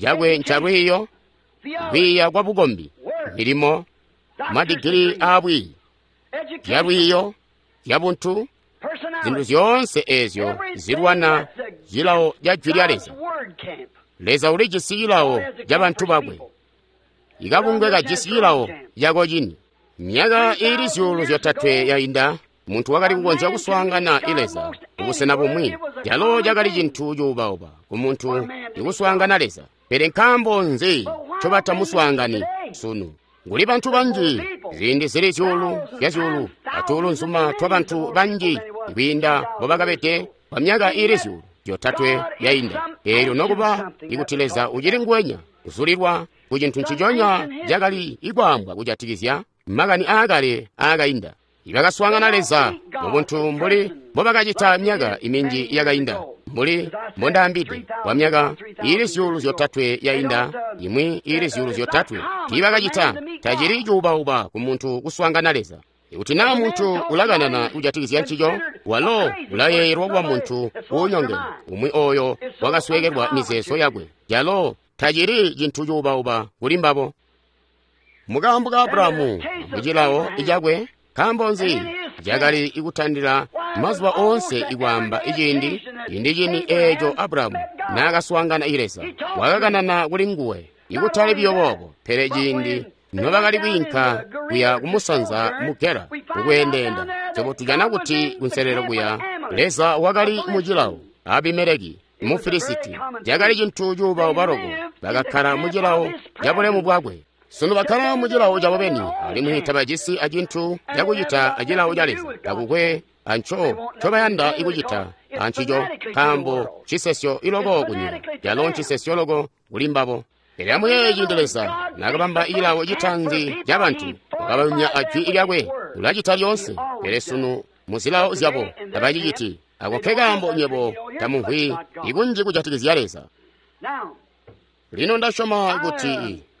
Cakwe ncalwiiyo, kwiiya kwa bukombi, milimo, madigili aabwiiyi, zyalwiiyo, zyabuntu, zintu zyoonse eezyo zilwana cilawo ca Jwi lya Leza. Leza ulijisi cilawo ca bantu bakwe. Ikabungwe kajisi cilawo cako cini. Myaka iili 3,000 yainda, muntu wakali kukonzya kuswaangana i Leza kubusena bumwi, calo cakali cintu cuubauba kumuntu ikuswaangana Leza. Pele nkaambo nzi ncobatamuswaangani sunu? Kuli bantu banji, ziindi zili zyuulu zya zyuulu atuulunzuma twabantu banji kwiinda mbobakabede kwa myaka iili 3,000 yainda. Eelyo nokuba ikuti Leza ucili nguwenya, kuzulilwa ku cintu nciconya cakali ikwaambwa kujatikizya makani aakale aakainda. Ibakaswaangana Leza mubuntu mbuli mbobakacita myaka minji yakainda, mbuli mbondaambide, kwa myaka iili 3,000 yainda, imwi iili 3,000 tiibakacita. Tacili cuubauba kumuntu kuswaangana Leza. Ikuti naa muntu ulakanana kujatikizya ncico, walo ulayeeyelwa kuba muntu uunyongene, umwi ooyo wakasweekelwa mizeezo yakwe. Calo tacili cintu cuubauba kuli mbabo. Mukaambo ka Abrahamu mucilawo cakwe, nkaambo nzi cakali kutandila mazuba oonse ikwaamba iciindi ciindi cini eeco Abrahamu naakaswaangana i Leza, wakakanana kuli nguwe. Ikutali biyo boobo, pele ciindi nobakali kwiinka kuya kumusanza mu Gera kukweendeenda, swebo tujana kuti kunselelo kuya Leza wakali mucilawo. Abimeleki mu Filisiti cakali cintu cuubauba loko, bakakkala mucilawo cabulemu bwakwe. Sunu bakkala mucilawo cabo beni, alimwi tabajisi acintu cakucita acilawo ca Leza. Takukwe anco ncobayanda ikucita ancico, nkaambo cisesyo iloko kunyika, calo ncisesyo loko kuli mbabo. Pele amuyeeye ciindi Leza naakabamba cilawo citaanzi cabantu, wakabayumya ajwi lyakwe, ulacita lyoonse. Pele sunu muzilawo zyabo tabaciciti. Ako nkekaambo nywebo tamumvwi ikunji kujatikizya Leza. Lino ndasyoma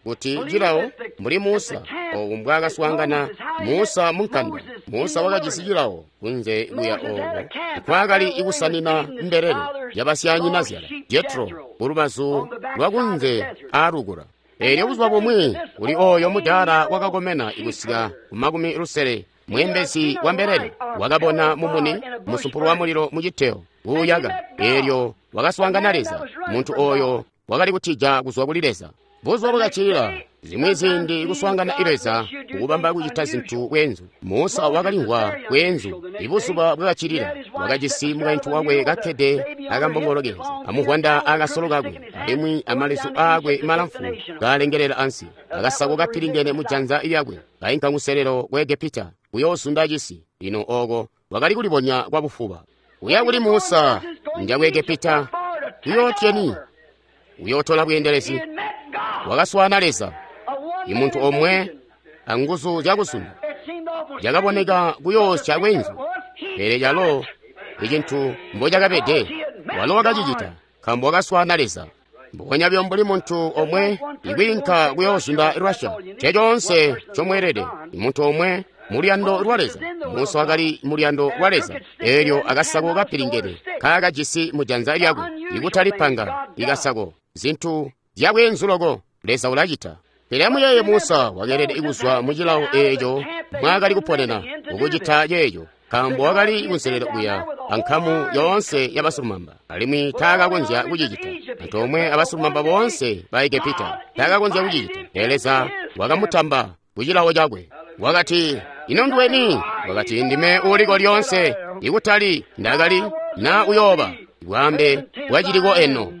kuti cilawo mbuli Musa obu mbwaakaswaangana Musa munkanda. Musa wakajisi cilawo kunze kuya ooko nkwaakali ikusanina mbelele yabasyanyinazyala Jetro kulubazu lwakunze aalukula. Eelyo buzuba bumwi kuli ooyo mudaala wakakomena ikusika ku 60, mweembezi wa mbelele, wakabona mumuni musumpulu wa mulilo muciteyo kuuyaka. Eelyo wakaswaangana Leza. Muntu ooyo wakali kutija kuzwa kuli Leza. Buzuba bwakacilila, zimwi ziindi kuswaangana i Leza kukubamba kucita zintu bweenzu. Musa wakalimvwa bweenzu. Ibuzuba bwakacilila, wakajisi mukaintu wakwe kakkede akambongolo kenze, amuvwanda akasolo kakwe, alimwi amalezu aakwe malamfu kaalengelela ansi, akasako kapilingene mujanza lyakwe, kainka kuselelo ku Egepita kuyoozunda cisi. Lino ooko wakali kulibonya kwa bufuba. Kuya kuli Musa nja ku Egepita kuyootyeni, uyootola bweendelezi. Wakaswaana Leza, imuntu omwe anguzu zyakuzunda. Cakaboneka kuyoosya bweenzu, pele calo icintu mbocakabede, walo wakacicita nkaambo wakaswaana Leza. Mbubonya buyo mbuli muntu omwe ikwiinka kuyoozunda Russia, ncecoonse ncomweelede, imuntu omwe muluyando lwa Leza. Musa wakali muluyando lwa Leza. Eelyo akasako kapilingene kaakajisi mujanza lyakwe, ikutali panga, ikasako, zintu zyabweenzu loko Leza ulacita. Pele amuyeeye Musa wakeelede kuzwa mucilawo eeco mwaakali kuponena kukucita ceeco, nkaambo wakali kunselelo kuya ankamu yoonse yabasilumamba, alimwi taakakonzya kucicita antoomwe abasilumamba boonse ba Egepita. Taakakonzya kucicita. Pele Leza wakamutamba kucilawo cakwe. Wakati, ino nduweni? Wakati, ndime uuliko lyoonse, ikutali ndakali na uyooba, bwaambe bwaciliko eno.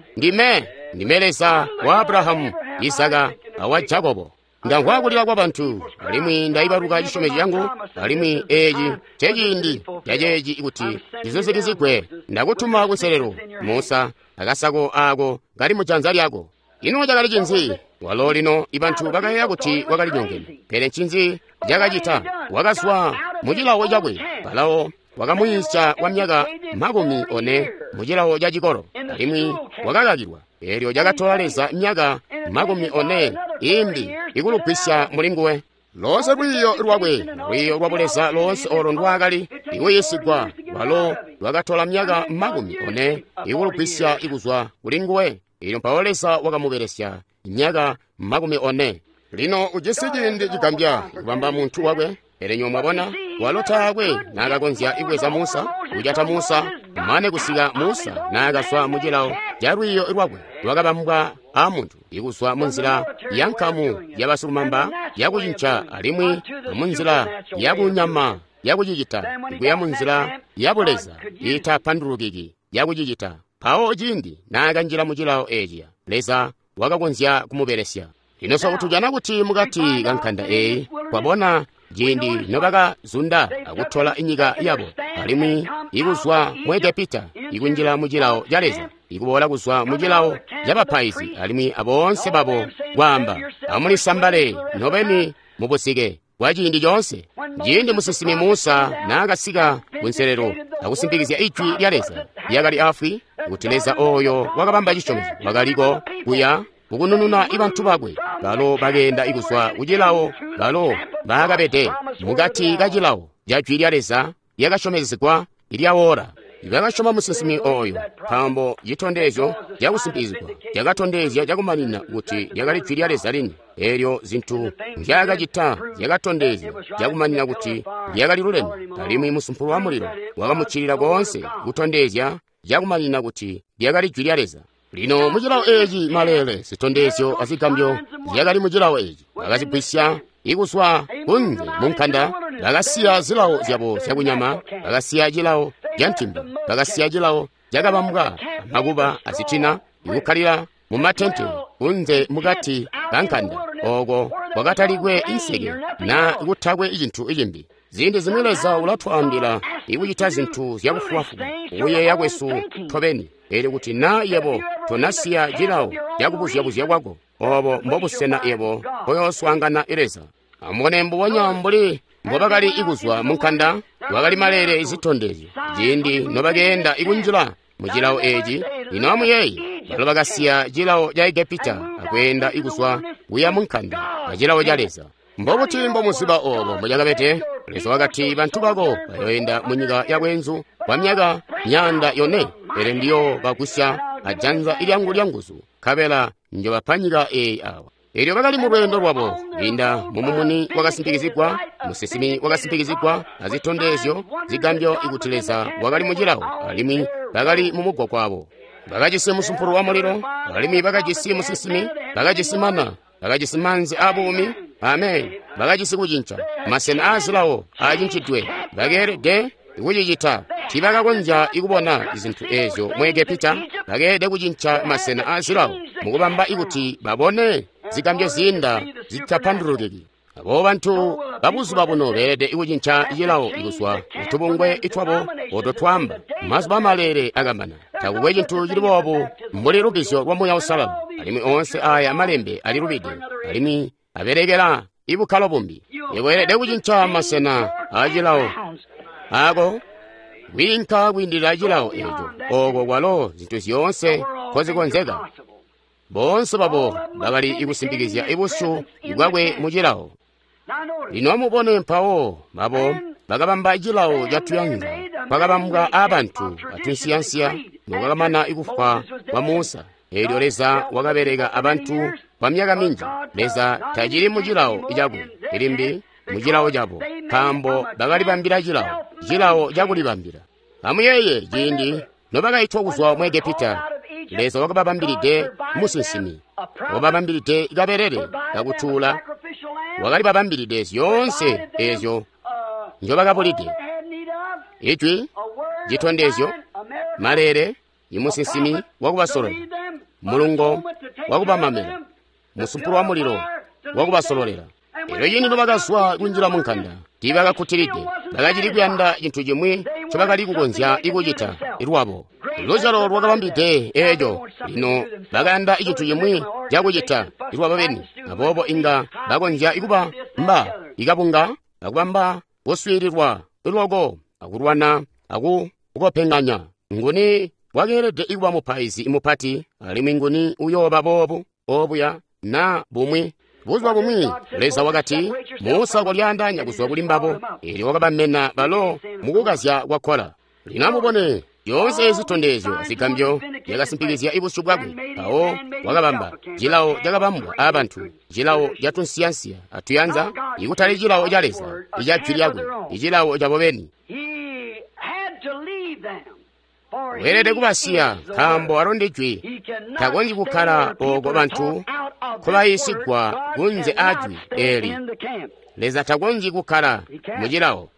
Ndime Leza wa Abrahamu, Isaka awa Jakobo. Ndamvwa kulila kwa bantu, alimwi ndaibaluka cisyomezyo cangu, alimwi eeci nceciindi caceeci kuti cizuzikizigwe. Ndakutuma kunselelo, Musa, akasako aako kali mujanza lyako. Ino cakali cinzi? Walo lino ibantu bakayeeya kuti wakali nyongene. Pele ncinzi cakacita? Wakazwa mucilawo cakwe. Farao Wakamuyiisya kwa myaka 40 mu cilawo ca cikolo, alimwi wakakakilwa. Elyo cakatola Leza myaka 40 imbi ikulugwisya mulinguwe. Loonse lwiiyo lwakwe, lwiiyo lwa buleza loonse olo ndwaakali ikuyiisigwa, lwalo lwakatola myaka 40 ikulugwisya ikuzwa kulinguwe. Elyo mpawo Leza wakamubelesya myaka 40. Lino ujisi ciindi cigambya kubamba muntu wakwe. Pele nywebo mwabona, walo taakwe naakakonzya ibweza Musa, kujata Musa, mane kusika Musa naakazwa mu cilawo ca lwiiyo lwakwe lwakabambwa a muntu, ikuzwa munzila ya nkamu ya basilumamba yakucinca alimwi munzila yakunyama yakucicita, ikuya munzila ya buleza iitapandulukiki yakucicita. Mpawo ciindi naakanjila mu cilawo eciya, Leza wakakonzya kumubelesya. Lino so tujana kuti mukati ka nkanda eyi, twabona ciindi nobakazunda akutola inyika yabo, alimwi ikuzwa mu Egepita ikunjila mu cilawo ca Leza, ikuboola kuzwa mu cilawo cabapaizi alimwi aboonse babo kwaamba, amulisambale nobeni mubusike kwa ciindi coonse. Ciindi musinsimi Musa naakasika kunselelo akusimpikizya ijwi lya Leza lyakali afwi kuti Leza oyo wakabamba cisyomezyo wakaliko kuya kukunununa ibantu bakwe, balo bakeenda ikuzwa kucilawo balo baakabede mukati ka cilawo ca jwi lya Leza lyakasyomezegwa ilyawola. Bakasyoma musinsimi oyo, nkaambo citondezyo cakusimpikizigwa cakatondezya cakumanina kuti lyakali jwi lya Leza lini. Elyo zintu nzyaakacita zyakatondezya cakumanina kuti lyakali luleme, alimwi musumpulu wa mulilo wakamuccilila koonse kutondezya cakumanina kuti lyakali jwi lya Leza. Lino mucilawo eci maleele, zitondezyo azigambyo zyakali mucilawo eci. Bakazigwisya ikuzwa kunze munkanda, bakasiya zilawo zyabo zyakunyama, bakasiya cilawo ca ntimba, bakasiya cilawo cakabambwa amakuba azitina, ikukkalila mumatente kunze mukati kankanda, oko kwakatalikwe inseke na kutakwe cintu cimbi. Ziindi zimwi Leza ulatwaambila ikucita zintu zyakufubafuba kuyeeya kwesu tobeni. Elyo kuti na yebo tonasiya cilawo cakubuzya-buzya kwako, obo mbobusena yebo mpoyooswaangana Leza. Amubone mbubonya mbuli mbobakali ikuzwa munkanda, kwakali maleele izitondezyo ciindi nobakeenda ikunjila mu cilawo eci. Lino amuyeeye, balo bakasiya cilawo ca Egepita akweenda ikuzwa kuya munkanda acilawo ca Leza. Mbobuti mbomuziba obo mbucakabede? Leza wakati bantu bako bayoenda munyika yabwenzu kwa myaka 400, pele ndiyobagwisya ajanza ilyangu lyanguzu, nkabela njobapa nyika eyi awa. Elyo bakali mu lweendo lwabo kwiinda mumumuni wakasimpikizigwa, musinsimi wakasimpikizigwa azitondezyo zigambyo ikuti Leza wakali mu cilawo, alimwi bakali mu mugwagwa wabo. Bakajisi musumpulu wa mulilo, alimwi bakajisi musinsimi, bakajisi mana, bakajisi maanzi aabuumi. Amen. Bakajisi kucinca masena aazilawo aacincidwe. Bakeelede kucicita. Tiibakakonzya ikubona zintu ezyo mu Egepita. Bakeelede kucinca masena aazilawo mukubamba ikuti babone zigambyo ziinda zitapandulukiki. Abo bantu babuzuba buno beelede kucinca cilawo ikuzwa kutubungwe itwabo oto twamba mazuba maleele akamana. Takukwe cintu cili boobu mbuli lubbizyo lwa Muuya Uusalala, alimwi oonse aya malembe alilubide, alimwi abelekela ibukkalo bumbi. Iweelede kucinca masena aacilawo ako kwiinka kwiindilila cilawo eco, oko kwalo zintu zyoonse nkozikonzeka. Boonse babo bakali ikusimpikizya ibusyu bwakwe mu cilawo. Lino amubone mpawo babo bakabamba cilawo catuyanza kwakabambwa aabantu atunsiyansiya nokwakamana ikufwa kwa Musa. Elyo Leza wakabeleka abantu kwa myaka minji. Leza tacili mu cilawo cakwe limbi mu cilawo cabo, nkaambo bakalibambila cilawo, cilawo cakulibambila. Amuyeeye ciindi nobakaitwa kuzwa mu Egepita, Leza wakababambilide musinsimi, wakababambilide kabelele kakutuula, wakalibabambilide zyoonse ezyo nzyobakabulide. Ijwi, citondezyo, maleele, imusinsimi wakubasololela, mulungo wakubamamela, musumpulu wa mulilo wakubasololela. Elyo ciindi nobakazwa kunjila munkanda, tiibakakkutilide, bakacili kuyanda cintu cimwi ncobakali kukonzya ikucita lwabo. Luzyalo lwakabambide eeco, lino bakayanda cintu cimwi cakucita lwabo beni. Aboobo inga bakonzya kuba mba ikabunga akubamba kuswiililwa loko akulwana aku kupenganya. Nguni wakeelede kuba mupaizi mupati, alimwi nguni uyooba boobu, obuya, na bumwi. Buzuba bumwi Leza wakati, Musa kolyaandaanya kuzwa kuli mbabo, eelyo wakabamena balo mukukazya kwa Kola. Lino amubone, zyoonse zitondezyo azigambyo zyakasimpikizya ibusyu bwakwe. Mpawo wakabamba cilawo cakabambwa aabantu, cilawo catunsiyansiya atuyanza, ikutali cilawo ca Leza, ica jwi lyakwe, icilawo cabo beni. Weelede kubasiya, nkaambo alo ndi jwi. Takonzyi kukkala ooko bantu nkobayiisigwa kunze aajwi eeli. Leza takonzyi kukkala mu cilawo.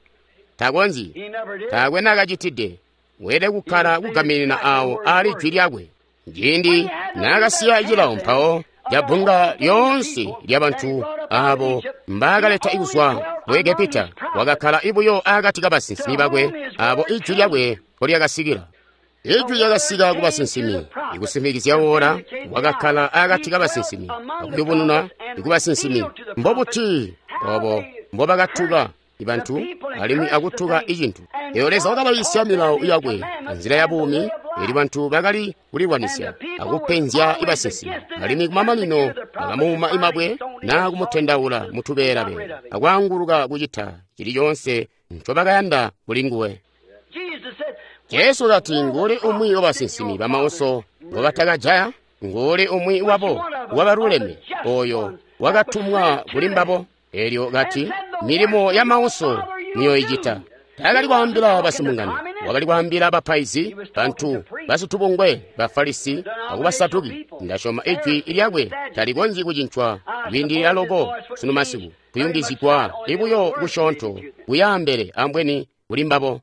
Takonzyi. Taakwe naakacitide. Weelede kukkala kugaminina aawo aali jwi lyakwe. Ciindi naakasiya cilawo mpawo cabbunga lyoonse lyabantu aabo mbaakaleta kuzwa mu Egepita, wakakkala buyo akati kabasinsimi bakwe aabo ijwi lyakwe nkolyakasikila. Ijwi lyakasika kubasinsimi, ikusimpikizya woola. Wakakkala akati kabasinsimi akuyubununa kubasinsimi. Mbobuti obo mbobakatuka bantu alimwi akutuka icintu. Eyo Leza wakabayiisya milawo yakwe anzila ya buumi, eelyo bantu bakali kulilwanisya akupenzya ibasinsimi, alimwi kumamanino bakamuuma imabwe naa kumutendaula mutubeela-beela akwaanguluka kucita cili coonse ncobakayanda kulinguwe. Jesu kati, nguli umwi wabasinsimi bamauso ngobatakajaya? Nguli umwi wabo wabaluleme oyo wakatumwa kuli mbabo? Eelyo kati, milimo ya mauso niyoicita. Taakali kwaambila basimungano, wakali kwaambila bapaizi, bantu basitubungwe, Bafarisi akubasaduki. Ndasyoma ijwi lyakwe talikonzyi kucincwa kwiindilila loko sunu masiku, kuyungizigwa ibuyo kusyoonto kuyaambele ambweni kuli mbabo.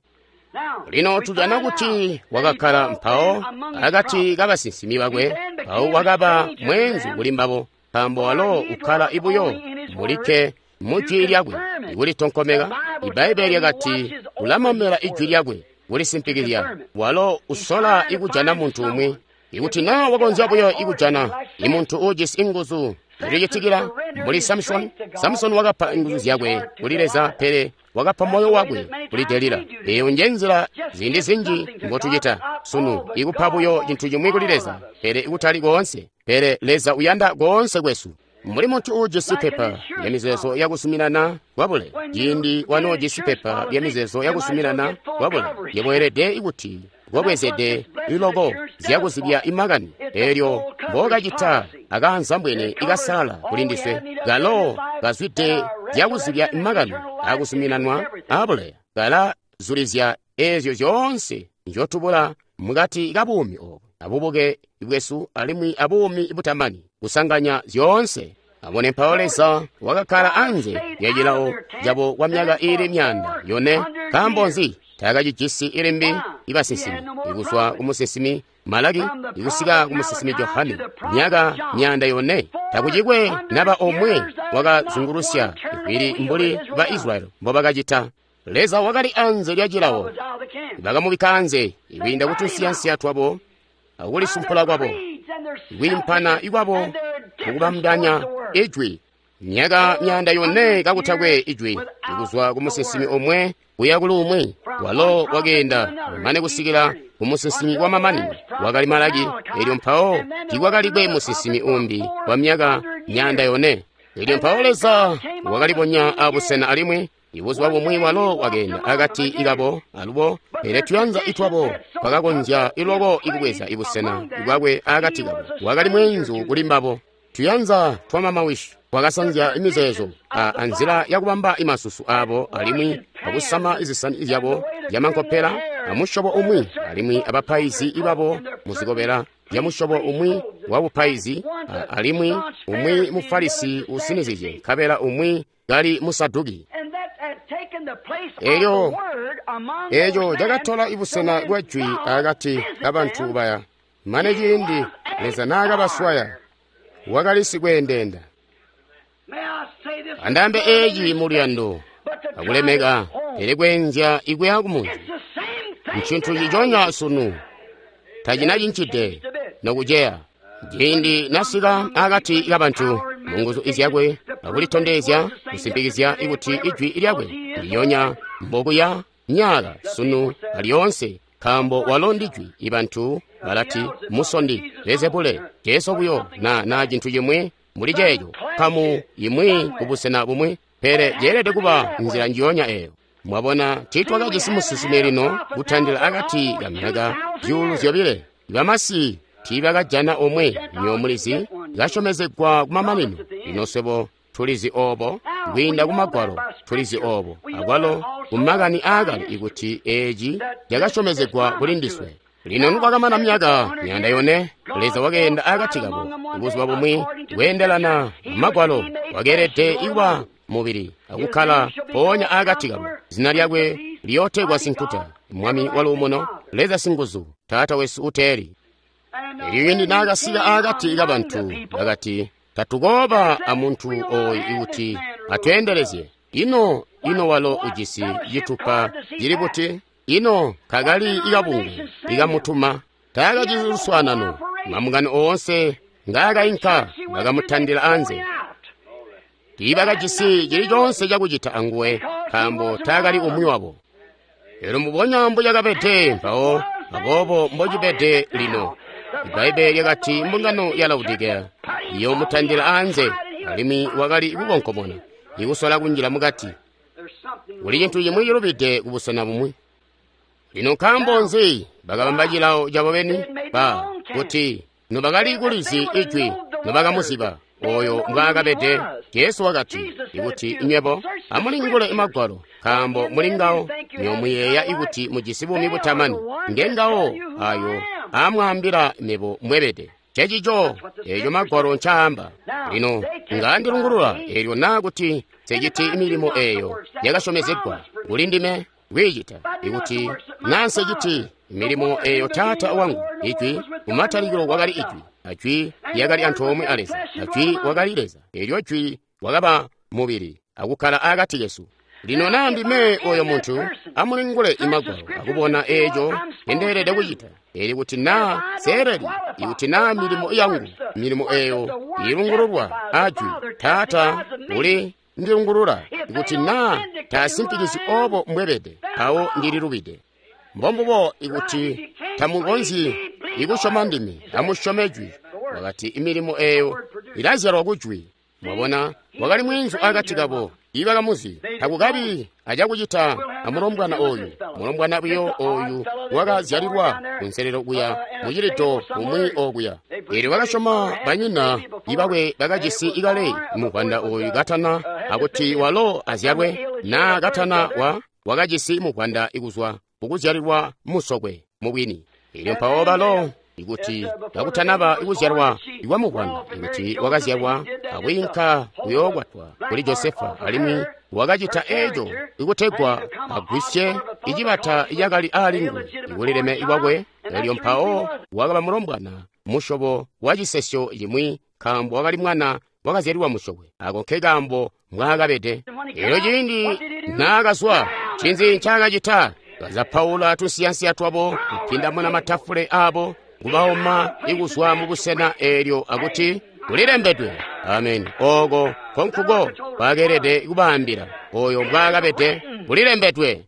Lino tujana kuti wakakkala mpawo akati kabasinsimi bakwe, mpawo wakaba mweenzu kuli mbabo, nkaambo walo ukkala ibuyo mulikke mujwi lyakwe ikulitonkomeka. Ibbaibbele lyakati ulamamela ijwi lyakwe kulisimpikizya. Walo usola ikujana muntu umwi. Ikuti naa wakonzya buyo ikujana imuntu uujisi inguzu zilicitikila mbuli Samsoni. Samsoni wakapa inguzu zyakwe kuli Leza, pele wakapa moyo wakwe kuli Delila. Eyo nje nzila ziindi zinji mbotucita sunu, ikupa buyo cintu cimwi kuli Leza, pele ikutali koonse. Pele Leza uyanda koonse kwesu. Mbuli muntu uujisi pepa lyamizeezo yakuzuminana kwabule, ciindi wanoojisi pepa lyamizeezo yakuzuminana kwabule, yebo weelede kuti wabwezede iloko zyakuzibya imakani. Eelyo mbokacita akaanzambwene ikasalala kuli ndiswe, kalo kazwide zyakuzibya imakani akuzuminanwa abuleya, kalazulizya eezyo zyoonse nzyotubula mukati kabuumi obu, abubuke bwesu alimwi abuumi butamani, kusanganya zyoonse. Abone mpawo Leza wakakkala anze lya cilawo cabo kwa myaka iili 400. Nkaambo nzi? Taakacijisi ilimbi ibasinsimi, ikuzwa kumusinsimi Malaki ikusika kumusinsimi Johane, myaka 400. Takucikwe naba omwe wakazungulusya ivwili mbuli ba Israyeli mbobakacita. Leza wakali anze lya cilawo, bakamubikka anze ikwiinda kutunsiyansiya twabo akulisumpula kwabo, kwiimpana ikwabo mukubambanya ijwi. Myaka 400 kakutakwe ijwi, ikuzwa kumusinsimi omwe kuya kuli umwi. Walo wakeenda mane kusikila kumusinsimi wa mamanino, wakali Malaki. Eelyo mpawo tiikwakalikwe musinsimi umbi wa myaka 400. Eelyo mpawo Leza wakalibonya abusena alimwi ibuzuba bumwi walo wakeenda akati ikabo alubo, pele tuyanza itwabo twakakonzya iloko ikubweza ibusena bwakwe akati kabo. Wakali mweenzu kuli mbabo. Tuyanza twamamawishi twakasanzya imizeezo anzila yakubamba imasusu abo, alimwi akusama izisani zyabo zyamankopela amusyobo umwi, alimwi abapaizi ibabo muzikobela zyamusyobo umwi wabupaizi, alimwi umwi Mufarisi usinizizye, nkabela umwi kali Musaduki. Eeco cakatola ibusena bwa jwi akati kabantu baya, mane ciindi Leza naakabaswaya, wakali sikweendeenda. Andaambe eeci muluyando akulemeka, pele kweenzya ikuya kumunzi ncintu ciconya sunu, tacinacincide nokuceya. Ciindi nasika akati kabantu munguzu izyakwe akulitondezya kusimpikizya kuti ijwi lyakwe ndilyonya mbokuya myaka, sunu, alyoonse, nkaambo walo ndi Jwi. I bantu balati musondi, Bezebule, Jesu buyo, na cintu cimwi mbuli ceeco, nkamu imwi kubusena bumwi, pele ceelede kuba nzila njiyonya eyo. Mwabona, tiitwakajisi musinsimi lino kutandila akati ka myaka 2,000. Bamasi tiibakajana omwe, nywebo mulizi, kasyomezegwa kumamanino. Lino swebo tulizi obo, kwiinda ku Magwalo tulizi obo, akwalo ku makani aakale ikuti eci cakasyomezegwa kuli ndiswe. Lino nokwakamana myaka 400, Leza wakeenda akati kabo buzuba bumwi kweendelana Magwalo, wakeelede kuba mubili akukkala mpoonya akati kabo. Zina lyakwe liyootegwa Sinkuta, Mwami wa Luumuno, Leza Singuzu, Taata wesu uteeli. Elyo cindi naakasika akati kabantu, bakati, tatukooba amuntu oyu ikuti atweendelezye. Ino walo ujisi citupa cili buti? Ino kakali ikabungu ikamutuma? Taakajisi luswaanano. Mambungano oonse ngaakainka bakamutandila anze. Tiibakajisi cili coonse cakucita anguwe, nkaambo taakali umwi wabo. Elyo mbubonya mbucakabede mpawo, aboobo mbocibede lino. Ibbaibbele lyakati mbungano ya Laodikeya iyoomutandila anze, alimwi wakali kukonkomona, ikusola kunjila mukati. Kuli cintu cimwi cilubide kubusena bumwi. Lino nkaambo nzi bakabamba cilawo cabo beni? Ba kuti nobakali kulizi ijwi, nobakamuziba oyo mbwaakabede. Jesu wakati, ikuti nywebo amulingule Magwalo, nkaambo muli ngawo nyomuyeeya ikuti mujisi buumi butamani, ngengawo ayo aamwaambila mebo mwebede. Cecico eco Magwalo ncaamba. Lino ngandilungulula eelyo naa kuti nseciti milimo eyo yakasyomezegwa kuli ndime kwiicita, ikuti naa nseciti milimo eyo Taata wangu, Ijwi, kumatalikilo kwakali Ijwi, ajwi lyakali antoomwe a Leza, ajwi wakali Leza, eelyo Jwi wakaba mubili akukkala akati kesu. Lino naa ndime oyo muntu, amulingule Magwalo akubona eeco ndendeelede kucita. Eli kuti naa seeleli, ikuti naa milimo yangu, milimo eyo ilungululwa ajwi, Taata uli ndilungulula, ikuti naa taasimpikizyi obo mbwebede, mpawo ndililubide. Mbombubo ikuti tamukonzyi ikusyoma ndime, amusyome Jwi. Wakati imilimo eyo ilazyalwa ku Jwi. Mwabona, wakali mweenzu akati kabo, ibakamuzi. Takukabi acakucita amulombwana oyu, mulombwana buyo oyu wakazyalilwa kunselelo kuya mucilido umwi okuya. Eelyo bakasyoma banyina ibakwe bakajisi ikale muvwanda oyu katana akuti walo azyalwe, naa katana wakajisi muvwanda ikuzwa kukuzyalilwa musokwe mubwini. Eelyo mpawo balo ikuti kakutanaba ikuzyalwa ikwa muvwanda, ikuti wakazyalwa akwiinka kuyookwatwa kuli Josefa, alimwi wakacita eco ikutegwa agwisye icibata icakali aali nguwe ikulileme kwakwe. Elyo mpawo wakaba mulombwana musyobo wa cisesyo cimwi, nkaambo wakali mwana wakazyalilwa musokwe. Ako nke kaambo mbwaakabede. Elyo ciindi naakazwa, ncinzi ncaakacita? Kazapaula tunsiyansiya twabo, kupindamuna matafule abo, kubaoma ikuzwa mubusena eelyo akuti kulilembedwe. Amen. Oko konkuko kwakeelede kubaambila oyo mbwaakabede, kulilembedwe.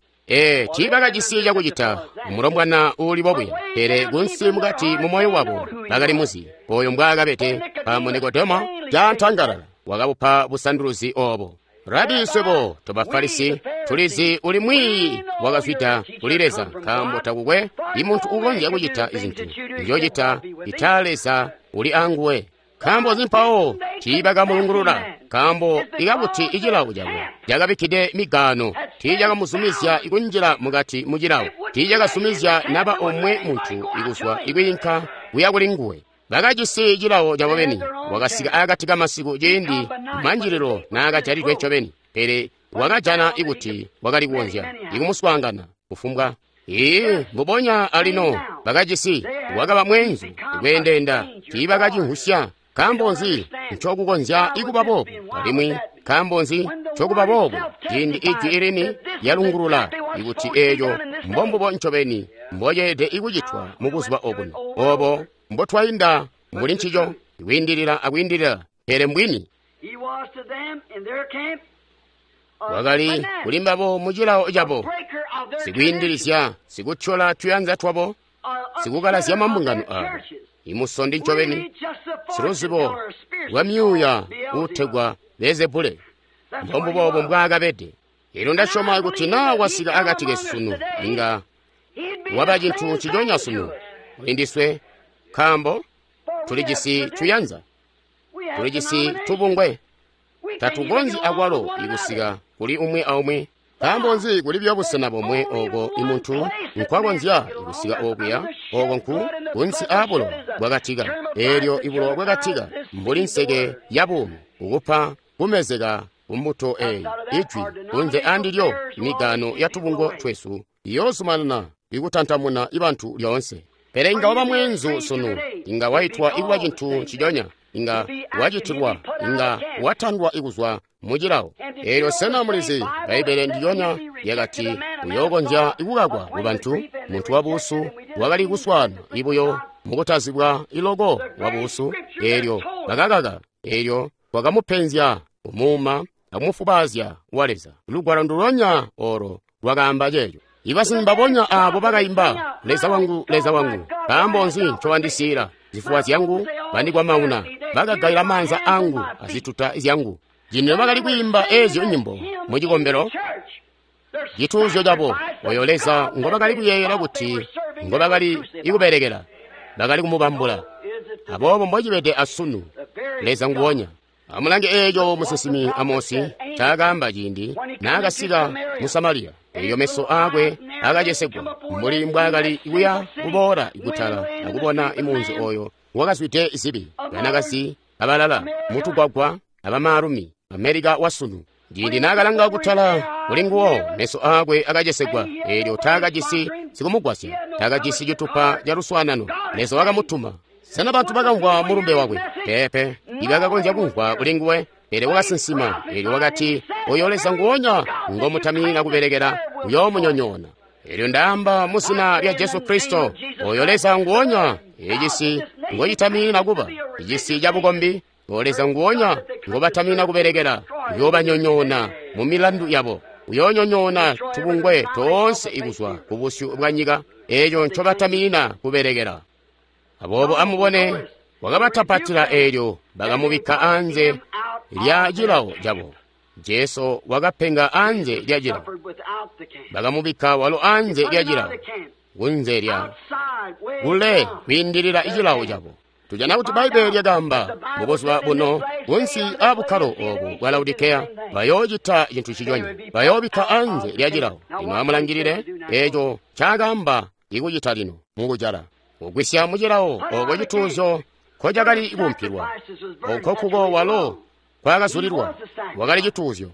Tiibakajisi cakucita mulombwana uuli bobuya, pele kunsi mukati mu moyo wabo bakali muzi oyo mbwaakabede. Nkaambo Nikodemo caantangalala wakabupa busanduluzi obo. Rabi, swebo tobafarisi tulizi uli mwiiyi wakazwida kuli Leza, nkaambo takukwe imuntu ukonzya kucita izintu nzyocita ita Leza uli anguwe. Nkaambo nzi mpawo tiibakamulungulula? Nkaambo ikakuti icilawo cabo cakabikkide migaano, tiicakamuzumizya ikunjila mukati mucilawo, tiicakazumizya naba omwe muntu ikuzwa ikwiinka kuya kuli nguwe. Bakajisi cilawo cabo beni. Wakasika akati kamasiku ciindi manjililo naakajalidwe ncobeni, pele wakajana ikuti wakali kukonzya ikumuswaangana kufumbwa. Mbubonya alino bakajisi, wakaba mweenzu ikweendeenda, tiibakacimvwisya. Nkaambo nzi ncokukonzya ikuba boobu? Alimwi nkaambo nzi ncokuba boobu ciindi ijwi ilini lyalungulula ikuti eeco mbombubo ncobeni mboceelede ikucitwa mubuzuba obuno, obo mbotwainda muli ncico, kwiindilila akwiindilila, pele mbwini. Wakali kuli mbabo mu cilawo cabo, sikwiindilizya, sikutyola tuyanza twabo, sikukalazya mambungano abo. Imusondi ncobeni, siluzibo lwa myuuya uutegwa Beelzebule. Mbombubo mbwaakabede. Elyo ndasyoma kuti naa wasika akati kesu sunu, inga waba cintu nciconya sunu kuli ndiswe, nkaambo tulijisi tuyanza, tulijisi tubungwe, tatukonzyi akwalo ikusika kuli umwi aumwi. Nkaambo nzi kuli buyo busena bomwe oko imuntu nkwakonzya kusika okuya, oko nku kunsi aabulowa bwakatika. Eelyo ibulowa bwakatika mbuli nseke ya buumi, kukupa kumezeka kumbuto eyi, ijwi kunze andilyo migaano ya tubungo twesu iyoozumanana ikutantamuna ibantu lyoonse. Pele inga waba mweenzu sunu, inga waitwa ikuba cintu nciconya, inga wacitilwa, inga watandwa ikuzwa mu cilawo. Eelyo sena mulizi Bbaibbele ndilyonya lyakati uyookonzya ikukakwa ku bantu, muntu wabuusu wakali kuswaana ibuyo mukutazibwa iloko wabuusu. Eelyo bakakaka, eelyo wakamupenzya, kumuuma, akumufubaazya wa Leza. Lugwalo ndulonya olo lwakaamba ceeco. Ibasimi mbabonya aabo bakaimba, Leza wangu, Leza wangu, nkaambo nzi ncowandisiila? Zifuwa zyangu bandikwamauna, bakagaila maanza angu azituta zyangu. Cino bakali kwiimba eezyo nyimbo mu cikombelo, cituuzyo cabo, oyo Leza ngobakali kuyeeyela kuti ngobakali ikubelekela, bakali kumubambula. Aboobo mbocibede asunu, Leza nguwonya. Amulange eeco musinsimi Amosi ncaakaamba ciindi naakasika mu Samariya. Eelyo meso aakwe akacesegwa mbuli mbwaakali kuya kuboola kutala akubona imunzi oyo wakazwide zibi, banakazi abalala mutugwagwa abamaalumi, Amerika wasunu. Ciindi naakalanga kutala kuli nguwo, meso aakwe akacesegwa. Eelyo taakajisi sikumugwasya, taakajisi citupa ca luswaanano. Leza wakamutuma. Sena bantu bakamvwa mulumbe wakwe? Peepe, ibakakonzya kumvwa kuli nguwe, pele wakasinsima. Eelyo wakati, oyo Leza nguwonya ngomutaminina kubelekela uyoomunyonyoona. Eelyo ndaamba mu zina lya Jesu Kristo, oyo Leza nguwonya ecisi ngocitaminina kuba icisi cabukombi, o Leza nguwonya ngobataminina kubelekela uyoobanyonyoona mu milandu yabo. Uyoonyonyoona tubungwe toonse ikuzwa ku busyu bwa nyika, eeco ncobataminina kubelekela. Aboobo amubone, wakabatapatila eelyo bakamubikka anze lya cilawo cabo. Jesu wakapenga anze lya cilawo. Bakamubikka walo anze lya cilawo, kunze lya kule kwiindilila cilawo cabo. Tujana kuti Bbaibbele lyakaamba mubuzuba buno kunsi aabukkalo oobu bwa Laodikeya bayoocita cintu ciconya, bayoobikka anze lya cilawo. Lino amulangilile eeco ncaakaamba ikucita lino mukujala. Kugwisya mu cilawo oko cituuzyo nkocakali kuumpilwa, oko kuko walo kwakazulilwa, wakali cituuzyo.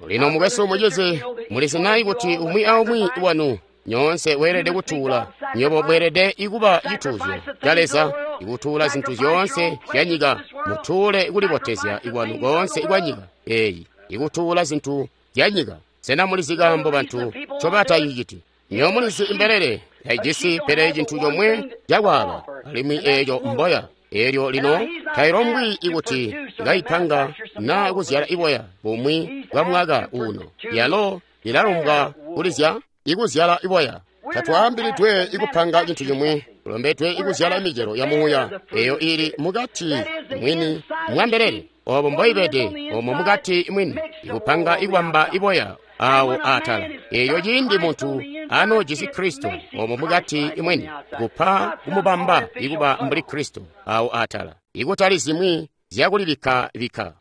Lino mukwesu mucizi, mulizi nayi kuti umwi aumwi wanu nyoonse weelede kutuula. Nywebo mweelede ikuba cituuzyo ca Leza, ikutuula zintu zyoonse zya nyika. Mutuule kulibotezya ikwanu koonse kwa nyika eeyi, ikutuula zintu zya nyika. Sena mulizi kaambo bantu ncobataciciti? Nywebo mulizi imbelele taijisi pele cintu comwe cakwaaba, alimwi eeco mboya. Eelyo lino tailombwi ikuti kaipanga naa kuzyala iboya bumwi bwa mwaka uno. Yalo ilalombwa kulizya ikuzyala iboya. Tatwaambilidwe ikupanga cintu cimwi, tulombedwe ikuzyala micelo ya muuya eyo ili mukati mwini mwa mbelele. Obo mboibede omo mukati mwini, ikupanga ikubamba iboya awo atala. Eyo ciindi muntu anoojisi Kristo omo mukati mwini, kupa kumubamba ikuba mbuli Kristo awo atala, ikutali zimwi zyakulibikka-bikka.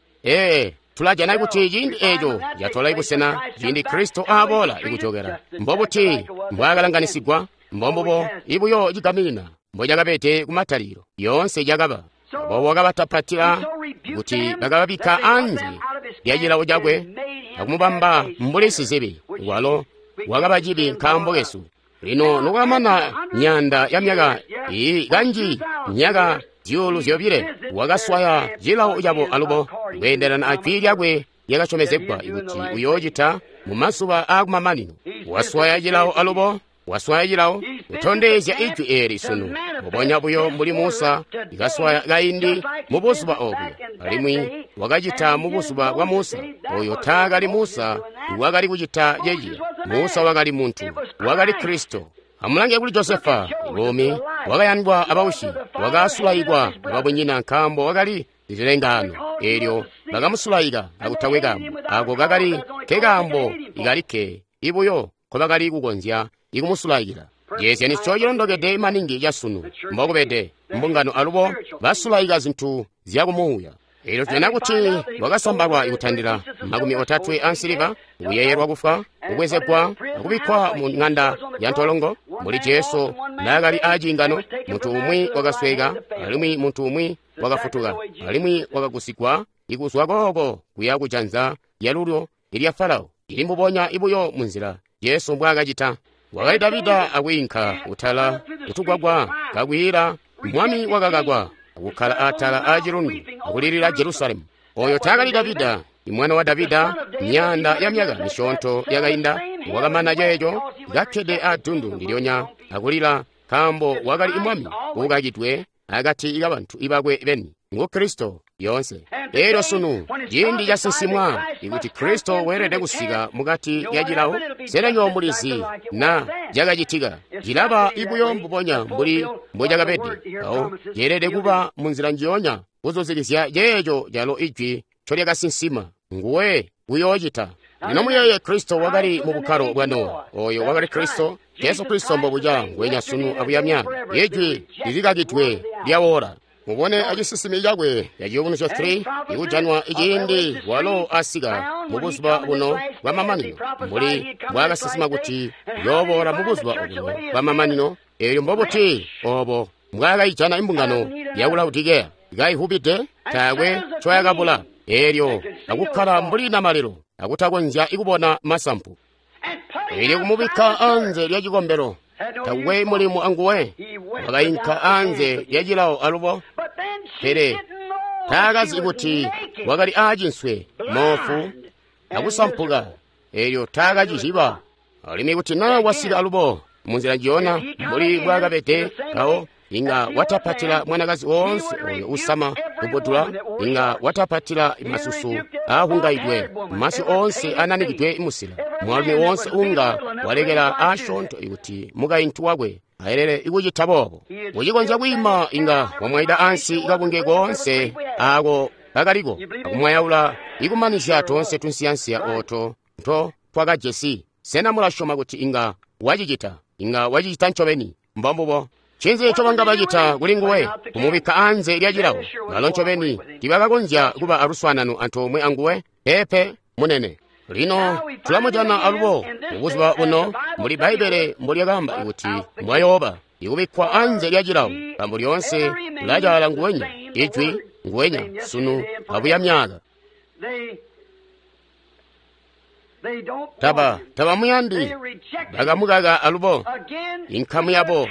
Tulajana kuti ciindi eeco catola ibusena ciindi Kristo aaboola ikujokela. Mbobuti mbwaakalanganisigwa? Mbombubo ibuyo cigaminina mbocakabede kumatalikilo, yoonse cakaba. Aboobo wakabatapatila kuti bakababikka anze lya cilawo cakwe akumubamba mbuli sizibi, walo wakaba cibi nkaambo kesu. Lino nokwamana myaanda ya myaka iyi kanji myaka 2,000, wakaswaya cilawo cabo alubo kweendelana ajwi lyakwe lyakasyomezegwa kuti uyoocita mu mazuba aakumamanino. Waswaya cilawo alubo, waswaya cilawo, kutondezya ijwi eeli sunu. Mbubonya buyo mbuli Musa ikaswaya kaindi mu buzuba obuya, alimwi wakacita mu buzuba bwa Musa. Oyo taakali Musa wakali kucita ceciya. Musa wakali muntu, wakali Kristo. Amulange kuli Josefa, buumi wakayandwa abaushi, wakasulaikwa ababunyina nkaambo wakali zilengaano. Eelyo bakamusulaika akutakwe kaambo. Ako kakali kekaambo ikalikke ibuyo nkobakali kukonzya ikumusulaikila. Ceezyanisyo cilondokede maningi casunu mbokubede mbungano alubo basulaika zintu zyakumuuya. Eelyo tujana kuti wakasambalwa ikutandila 30 ansiliva, kuyeeyelwa kufwa, kubwezegwa akubikkwa mu ng'anda ya ntolongo. Mbuli Jesu naakali aaciingano, muntu umwi wakasweka alimwi muntu umwi wakafutuka, alimwi wakagusigwa ikuzwa kooko kuya kujanza lyalulyo ilya Farao. Ili mbubonya ibuyo munzila Jesu mbwaakacita. Wakali Davida akwiinka kutala kutugwagwa kakwiila, mwami wakakakwa akukkala atala aacilundu akulilila Jerusalemu. Oyo taakali Davida, imwana wa Davida, myaanda ya myaka misyoonto yakainda, wakamana ceeco kakkede addundu ndilyonya akulila nkaambo wakali mwami uukakidwe akati kabantu ibakwe beni. Ngu Kristo yoonse. Eelyo sunu ciindi casinsimwa ikuti Kristo weelede kusika mukati ya cilawo. Sena nywebo mulizi na cakacitika? Cilaba ibuyo mbubonya mbuli mbocakabede. Awo ceelede kuba munzila njiyonya kuzuzikizya ceeco calo ijwi ncolyakasinsima. Nguwe uyoocita. Lino muyeeye Kristo wakali mu bukkalo bwa Nowa. Oyo wakali Kristo, Jesu Kristo mbobuca ngwenya sunu abuya myaka. Ijwi lilikakidwe lyawola. Mubone acisinsimi cakwe ya Ciyubunuzyo 3 ikujanwa iciindi walo asika mu buzuba buno bwa mamanino, mbuli mbwaakasinsima kuti uyooboola mu buzuba obuno bwa mamanino. Eelyo mbobuti obo mbwaakayijana imbungano ya Laodikeya kaihubide, taakwe ncoyakabula, eelyo akukkala mbuli namalelo akutakonzya ikubona masampu. Eelyo kumubikka anze lya cikombelo, takwe mulimu anguwe, wakainka anze lya cilawo alubo. Pele taakazi kuti wakali aacinswe, moofu akusampuka, eelyo taakacizyiba. Alimwi kuti naa wasika alubo munzila njiyona mbuli mbwaakabede mpawo, inga watapatila mwanakazi woonse oyo usama lubbudula, inga watapatila masusu aahungaidwe, masyu oonse ananikidwe musila, mwaalumi woonse unga walekela aasyoonto ikuti mukaintu wakwe aelele ikucita boobo. Ucikonzya kwiima inga wamwaida ansi kabunge koonse aako kakaliko, akumwayaula ikumanizya toonse tunsiyansiya ooto nto twakajesi. Sena mulasyoma kuti inga wacicita? Inga wacicita ncobeni. Mbombubo. Ncinzi ncobanga bacita kuli nguwe? Kumubikka anze lya cilawo. Balo ncobeni tiibakakonzya kuba aluswaanano antoomwe anguwe. Peepe, munene. Lino tulamujana alubo mubuzuba buno mbuli Bbaibbele mbolyakaamba kuti mbwayooba ikubikkwa anze lya cilawo, nkaambo lyoonse lulacaala nguwenya, ijwi nguwenya sunu abuya myaka. Tabamuyandi, bakamukaka alubo. Inkamu yabo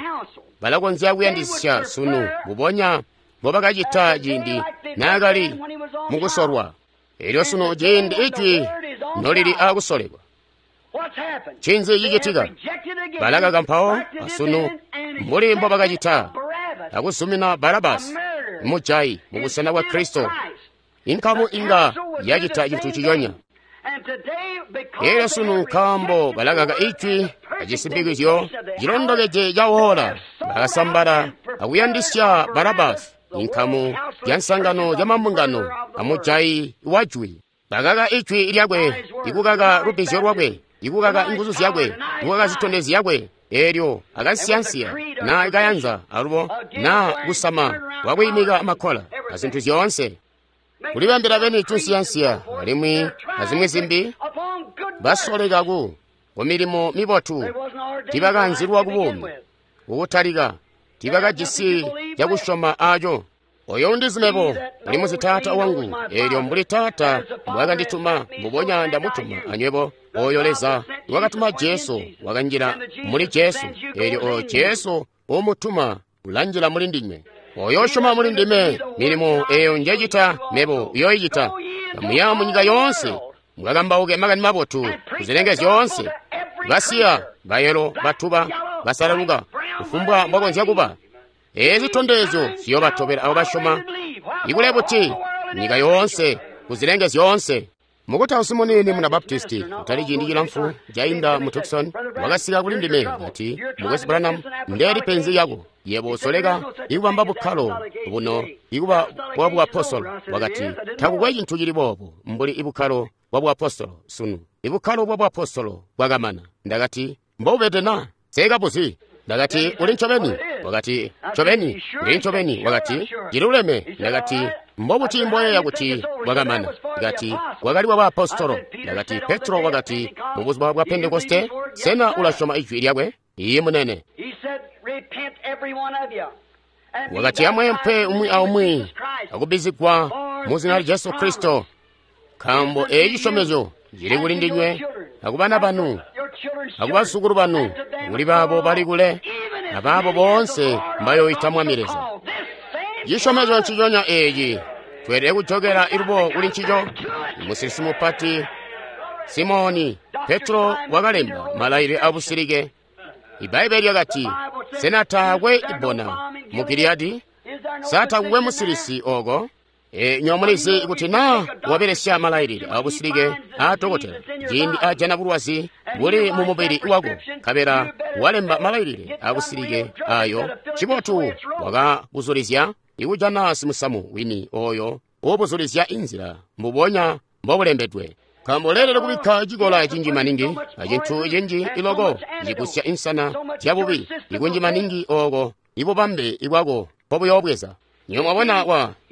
balakonzya kuyandisya sunu mbubonya mbobakacita ciindi naakali mukusolwa. Eelyo sunu ciindi ijwi nolili aakusolekwa, ncinzi cicitika? Balakaka mpawo asunu mbuli mbobakacita akuzumina Barabasi mujayi mubusena bwa Kristo. Inkamu inga yacita cintu ciyonya. Eelyo sunu nkaambo balakaka ijwi acisimpikizyo cilondokeje cawola, bakasambala akuyandisya Barabasi, inkamu ya nsangano ya mambungano amujayi wajwi. Bakaka ijwi lyakwe, ikukaka lubbizyo lwakwe, ikukaka inguzu zyakwe, ikukaka zitondezyo zyakwe. Eelyo akansiyansiya na ikayanza alubo na kusama wakwiimika makola azintu zyoonse, kulibambila beni tunsiyansiya alimwi azimwi zimbi. Basoleka ku milimo mibotu, tiibakaanzilwa kubuumi kukutalika, tiibakajisi cakusyoma aaco. Oyo undizi mebo ulimuzi Taata wangu, eelyo mbuli Taata mbwaakandituma mbubonya ndamutuma anywebo. Oyo Leza wakatuma Jesu wakanjila muli Jesu, eelyo oyo Jesu uumutuma ulanjila muli ndinywe. Oyo usyoma muli ndime, milimo eyo njecita mebo uyooyicita. Kamuya munyika yoonse, mukakambauke makani mabotu kuzilenge zyoonse. Basiya, bayelo, batuba, basalaluka, kufumbwa mbwakonzya kuba. Eezi zitondezyo ziyobatobela abo basyoma. Ikule buti nyika yoonse, kuzilenge zyoonse. Mukutausi muniini muna Baptisti, kutali ciindi cilamfu cainda mu Tucson, wakasika kuli ndime kati, Mukwesu Branham, ndeeli penzi lyako. Yebo usoleka ikubamba bukkalo buno ikuba bwa buapostolo. Wakati, takukwe cintu cili boobo mbuli ibukkalo bwa buapostolo sunu. Ibukkalo bwa buapostolo bwakamana. Ndakati, mbobubede na? Sekabuzi. Ndakati, uli ncobeni? Wakati, ncobeni, ndili ncobeni. Wakati, ciluleme. Ndakati, mbobuti mboyeeya kuti bwakamana? Ndakati, bwakali bwa baapostolo. Ndakati, Petro wakati, mu buzuba bwa Pentekoste, sena ulasyoma ijwi lyakwe? Iye munene. Wakati, amweempwe umwi aumwi akubbizigwa mu zina lya Jesu Kristo, nkaambo eeci cisyomezyo cili kuli ndinywe akubana banu akubazukulu banu, kuli baabo bali kule abaabo boonse mbayoyita Mwami Leza. Cisyomezyo nciconya eeci tweelede kujokela ilubo kuli ncico. Musilisi mupati Simoni Petro wakalemba malailile abusilike. Ibbaibbele lyakati, sena taakwe ibbona mu Giliyadi? Sa takukwe musilisi oko? Nywebo mulizi kuti naa wabelesya malailile abusilike aa dokotela ciindi ajana bulwazi buli mu mubili wako, nkabela walemba malailile abusilike ayo, cibotu wakabuzulizya ikujana simusamu wini oyo uubuzulizya inzila mbubonya mbobulembedwe. Nkaambo leelede kubikka cikola cinji maningi acintu cinji iloko cigusya insana zyabubi ikunji maningi oko ibubambe ibwako mbobuyoobweza. Nywebo mwabona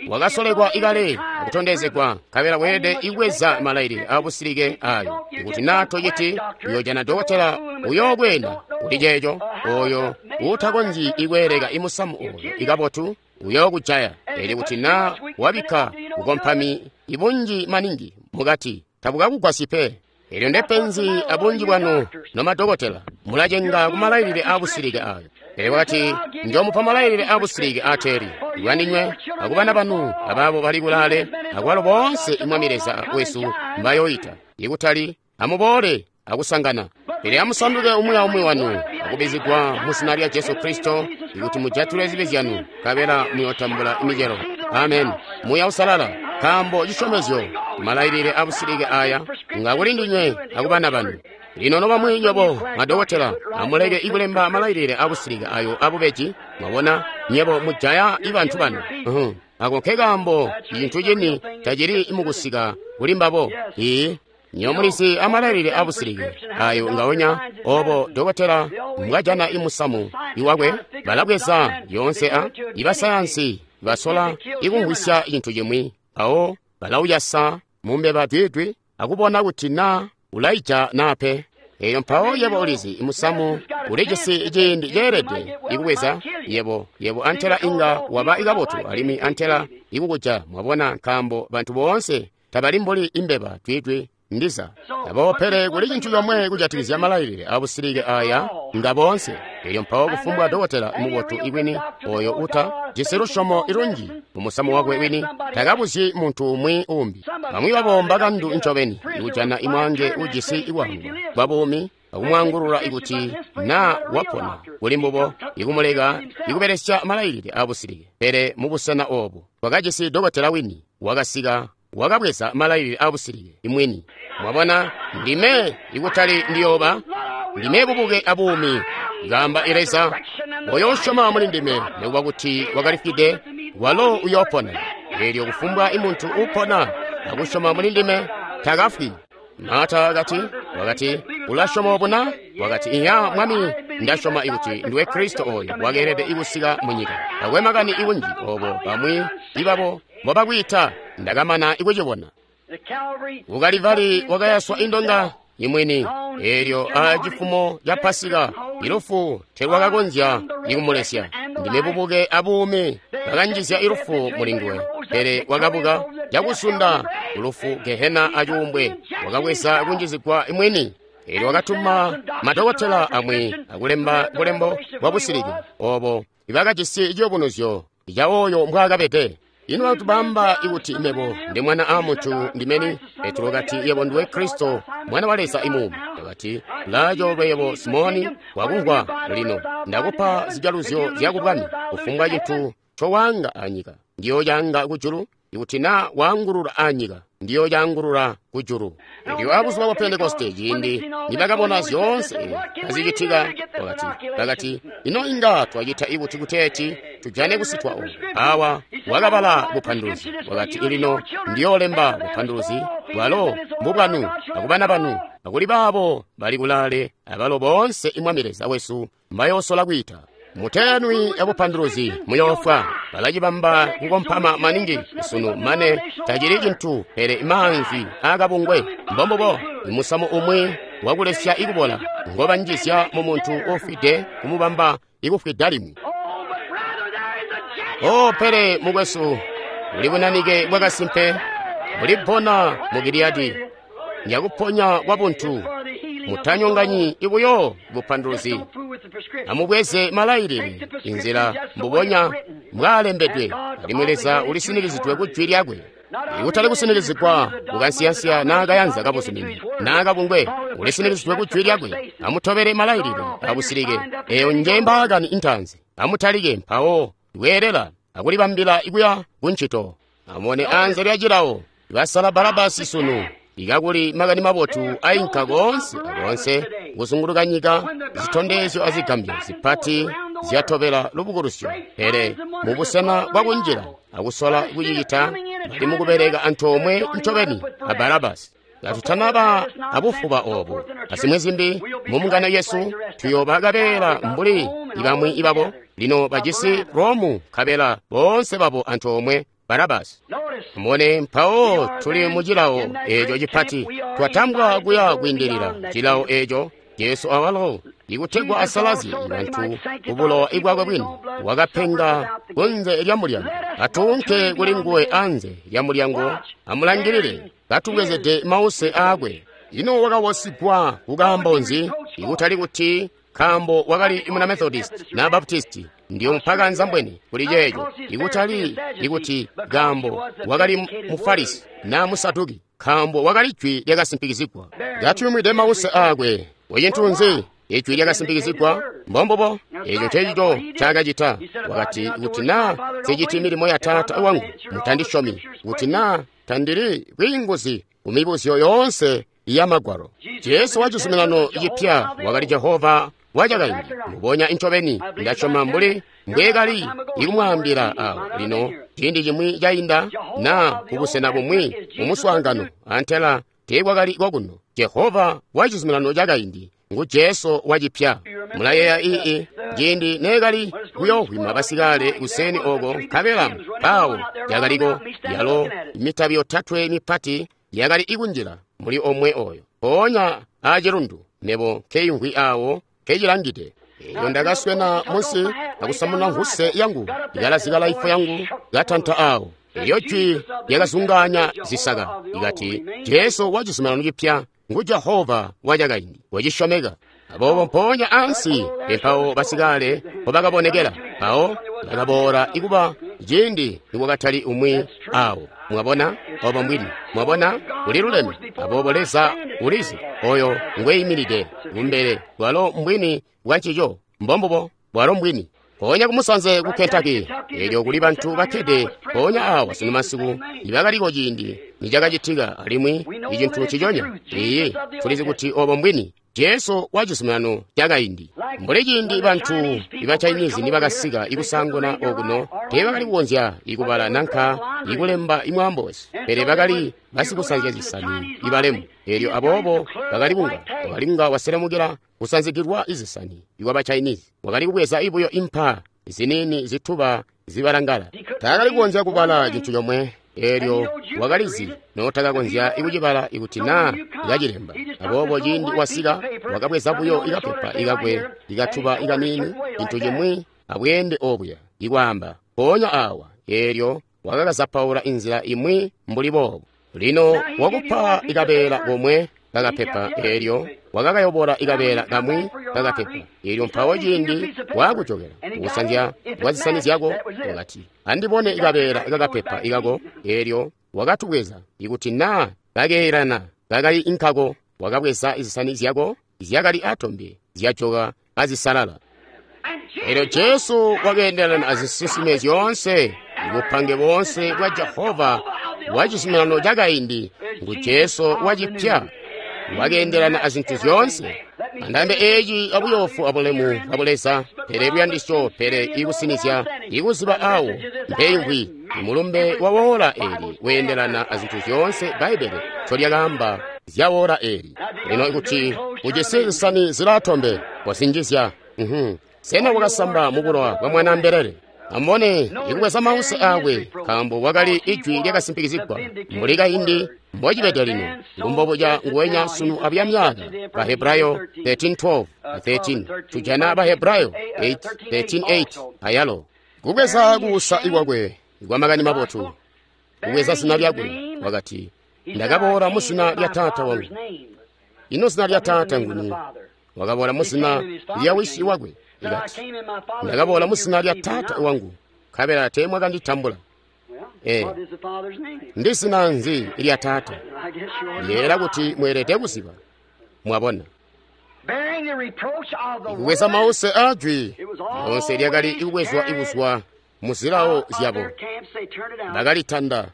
wakasolekwa ikale akutondezegwa, nkabela weelede ibweza malailile abusilike ayo. Ikuti naa tociti, uyoojana dokotela uyookweena kuli ceeco, oyo uutakonzyi ikweeleka imusamu oyo ikabotu uyookujaya. Pele kuti naa wabikka bukompami ibunji maningi mukati, tabukakugwasyi pe. Elyo ndepenzi abunji bwanu nomadokotela, mulacenga kumalailile abusilike ayo. Pele wakati, njoomupa malailile abusilike ateeli, iwandinywe akubana banu abaabo bali kulaale, akwalo boonse Mwami Leza wesu mbayoyita. Ikutali amuboole akusangana, pele amusanduke umwi aumwi wanu akubbizigwa mu zina lya Jesu Kristo ikuti mujatule zibi zyanu, nkabela muyootambula imicelo. Amen. Muuya Usalala, nkaambo cisyomezyo malailile abusilike aya nga kuli ndinywe akubana banu. Lino nobamwi nywebo madokotela, amuleke ikulemba malailile abusilike ayo abubeji. Mwabona, nywebo mujaya ibantu banu. Ako nkekaambo cintu cini tacili mukusika kuli mbabo. Ii, nywebo mulizi amalailile abusilike ayo ngaonya obo dokotela mbwajana imusamu iwakwe, balabweza yoonse a ibasayansi basola ikumvwisya cintu cimwi, mpawo balauyasa mumbeba dwidwi akubona kuti naa ulaija naa pe. Eyo mpawo yebo ulizi imusamu ulijisi ciindi ceelede ikubweza yebo antela inga waba ikabotu alimwi antela ikukuja. Mwabona, nkaambo bantu boonse tabali mbuli imbeba dwidwi ndiza. Aboobo pele kuli cintu comwe kujatikizya malailile abusilike aya nga boonse. Elyo mpawo kufumbwa dokotela mubotu iwini oyo uta jisi lusyomo ilunji mumusamu wakwe wini takabuzyi muntu umwi umbi. Bamwi babo mbakandu ncobeni ikujana imwange ujisi ikwangwa kwa buumi akumwangulula ikuti naa wapona kuli mbubo ikumuleka ikubelesya malailile abusilike. Pele mubusena obu twakajisi dokotela wini wakasika wakabweza malailile abusilike imwini. Mwabona, ndime ikutali ndiyooba, ndime bubuke abuumi, ikaamba Leza. Oyo usyoma muli ndime, nikuba kuti wakalifwide, walo uyoopona. Elyo kufumbwa imuntu upona akusyoma muli ndime takafwi. Marta wakati, ulasyoma obu na? Wakati, iya Mwami, ndasyoma ikuti ndiwe Kristo oyo wakeelede ikusika munyika. Takwe makani ikunji obo bamwi ibabo mbobakwiita, ndakamana ikucibona. Ku Kalivali wakayaswa indonga imwini, elyo a cifumo ca Pasika ilufu telwakakonzya ikumulesya. Ndime bubuke abuumi, bakanjizya ilufu mulinguwe, pele wakabuka cakusunda kulufu, Gehena acuumbwe, wakabweza kunjizigwa imwini. Elyo wakatuma madokotela amwi akulemba bulembo bwa busilike obo ibakajisi ciyubunuzyo ca oyo mbwaakabede. Ino bantu baamba ikuti mebo ndi Mwana a muntu ndimeni? Petro wakati, Yebo ndiwe Kristo, Mwana wa Leza imuumi. Wakati, Ulaacoolwe yebo Simoni, wakumvwa lino. Ndakupa zijaluzyo zya kubwami. Kufumbwa cintu ncowaanga anyika, ndiyocaanga kujulu. Ikuti na waangulula anyika, ndiyocaangulula kujulu. Elyo abuzuba bwa Pentekoste, ciindi nibakabona zyoonse kazicitika, bakati, ino inga twacita ibuti kuteeti tujane kusitwa oku? Awa wakabala bupanduluzi. Wakati, lino ndiyoolemba bupanduluzi bwalo mbubwanu akubana banu akuli baabo bali kulaale, abalo boonse imwami Leza wesu mbayoosola kwiita. Mutenwi ya bupanduluzi muyoofwa. Balacibamba kukompama maningi sunu mane tacili cintu pele maanzi aakabungwe. Mbombubo musamu umwi wakulesya ikubola ngobanjizya mu muntu uufwide kumubamba ikufwida limwi. Oh, pele mukwesu, buli bunanike bwakasimpe bulipona mu Giliyadi nyakuponya kwa buntu. Mutanyonganyi ibuyo bupanduluzi. Amubweze malailile inzila mbubonya mbwaalembedwe, alimwi Leza ulisinikizidwe ku jwi lyakwe. Ikutali kusinikizigwa kukansiyansiya naakayanza kabuzumini naakabungwe, ulisinikizidwe ku jwi lyakwe. Amutobele malailile abusilike. Eyo nje mbaakani intanzi. Amutalike mpawo kweelela akulibambila ikuya kuncito. Amubone anze lya cilawo basala Barabasi sunu. Ikakuli makani mabotu ainka koonse akoonse kuzunguluka nyika, zitondezyo azigambyo zipati zyatobela lubukulusyo. Pele mubusena bwakunjila akusola kucicita, bali mukubeleka antoomwe ncobeni a Barabasi. Katutanaba abufuba obu azimwi zimbi mumbungano yesu, tuyooba kabeela mbuli ibamwi ibabo. Lino bajisi Romu kabela boonse babo antoomwe Barabasi. Mubone, mpawo tuli mu cilawo eeco cipati, twatambwa kuya kwiindilila cilawo eeco. Jesu awalo ikutegwa asalazye bantu kubulowa bwakwe bwini, wakapenga kunze lya mulyango. Atuunke kuli nguwe anze lya mulyango, amulangilile katubwezede mause aakwe. Ino wakawosigwa kukaambo nzi? Ikutali kuti nkaambo wakali muna Methodist na Baptist, ndiyo mpaka nzambweni kuli ceeco. Ikutali ikuti nkaambo wakali Mufarisi na Musaduki, nkaambo wakali jwi lyakasimpikizigwa. Katuyumwide mause aakwe. Kucintu nzi? Ijwi lyakasimpikizigwa. Mbombubo, eco ncecico ncaakacita. Wakati, kuti naa nsiciti milimo ya Taata wangu, mutandisyomi. Kuti naa tandili bwiinguzi kumibuzyo yoonse ya Magwalo. Jesu wa cizuminano cipya wakali Jehova wacakaindi. Mubonya incobeni ndasyoma mbuli mbweekali ikumwaambila awo lino ciindi cimwi cainda na kubusena bumwi mumuswaangano antela teekwakali kwakuno. Jehova wa cizuminano cakaindi ngu Jesu wacipya. Mulayeeya ii ciindi neekali kuyohwima basikale kuseni oko, nkabela mpawo yakaliko yalo mitabi yotatwe mipati yakali ikunjila muli omwe oyo mpoonya aacilundu, mebo nkeyimvwi awo nkecilangide. Eyo ndakaswena munsi akusamuna nkhuse yangu, ikalazika laifu yangu katanta awo. Elyo jwi lyakazungaanya zisaka ikati, Jesu wa cizuminano cipya ngu Jehova wacakaindi wacisyomeka. Aboobo mpoonya ansi empawo basikale mpobakabonekela, mpawo bakaboola ikuba ciindi nikwakatali umwi awo. Mwabona obo mbwini, mwabona uliluleme. Aboobo Leza ulizi oyo ngweyimilide kumbele, bwalo mbwini bwa ncico, mbombubo bwalo mbwini. Mpoonya kumusanze ku Kentucky, elyo kuli bantu bakkede mpoonya awa sunu masiku nibakaliko ciindi nicakacitika, alimwi icintu nciconya. Iiyi, tulizi kuti obo mbwini. Jesu wa cizuminano cakaindi. Mbuli ciindi bantu iba Chinese nibakasika ikusanguna okuno, teebakali kukonzya ikubala nanka ikulemba imwaambo wesu, pele bakali basikusanzya zisani ibalemu. Elyo aboobo bakali kunga waselemukila kusanzigilwa izisani iwaba Chinese, wakali kubweza ibuyo impa ziniini zituba zibalangala. Taakali kukonzya kubala cintu comwe. Elyo wakalizi notakakonzya kucibala ikuti naa kacilemba. Aboobo ciindi wasika, wakabweza buyo ikapepa ikakwe ikatuba ikaniini, cintu cimwi abweende obuya, ikwaamba mpoonya awa. Elyo wakakazapaula inzila imwi mbuli boobo. Lino wakupa ikabeela komwe kakapepa, eelyo wakakayobola ikabeela kamwi kakapepa. Eelyo mpawo ciindi waakujokela kukusanzya kwa zisani zyako, wakati, andibone ikabeela kakapepa ikako. Eelyo wakatubweza, ikuti naa kakeelana kakali inkako, wakabweza izisani zyako zyakali atombe zyajoka kazisalala. Eelyo Jesu wakeendelana azisinsime zyoonse, bupange boonse bwa Jehova wa cizuminano cakaindi ngu Jesu wacipya, wakeendelana azintu zyoonse. Andambe eeci abuyoofu abulemu bwa Buleza, pele luyandisyo, pele ikusinizya, ikuziba awo mpeimvwi, imulumbe wa woola eeli weendelana azintu zyoonse Bbaibbele ncolyakaamba zya woola eeli. Lino ikuti ujisi zisani zilaatombe, kozinjizya. Sena wakasamba mubulowa bwa Mwanaambelele? Amubone, ikubweza mause aakwe, nkaambo wakali ijwi lyakasimpikizigwa mbuli kaindi mbocibede lino, ngumbobuca nguwenya sunu abuya myaka. Bahebrayo 13:12 13, tujana Bahebrayo 8:13-8 ayalo. Kubweza kuusa ikwakwe kwa makani mabotu, kubweza zina lyakwe, wakati, ndakaboola mu zina lya Taata wangu. Ino zina lya Taata nguni? Wakaboola mu zina lya wisi wakwe. Ikati, ndakaboola mu zina lya Taata wangu, nkabela teemwakanditambula. Ndi zina nzi lya Taata? Ndiyeeyela kuti mweelede kuziba. Mwabona, ikubweza mause aajwi lyoonse lyakali ikubwezwa ikuzwa mu zilawo zyabo. Bakalitanda,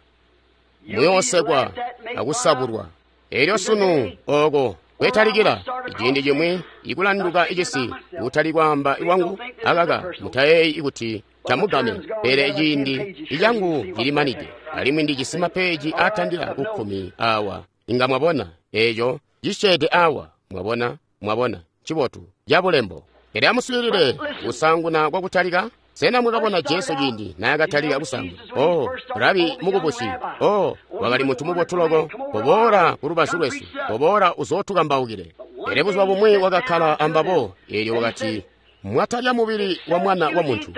muyoosekwa akusabulwa. Eelyo sunu ooko kwetalikila ciindi cimwi ikulanduka icisi kutali kwaamba iwangu akaka mutayeeyi ikuti camugame, pele ciindi icangu cilimanide alimwi ndijisi mapeeji aatandila ku 10 awa. Inga mwabona eeco cisyeede awa. Mwabona, mwabona, ncibotu cabulembo. Pele amuswiilile kusaanguna kwakutalika. Sena mwakabona Jesu ciindi naakatalika kusaanguna? Oh, rabi mukubusi. Oh, wakali muntu mubotu loko. Koboola ku lubazu lwesu. Koboola uzootukambaukile. Pele buzuba bumwi wakakkala ambabo, eelyo wakati, mwatalya mubili wa Mwana wa Muntu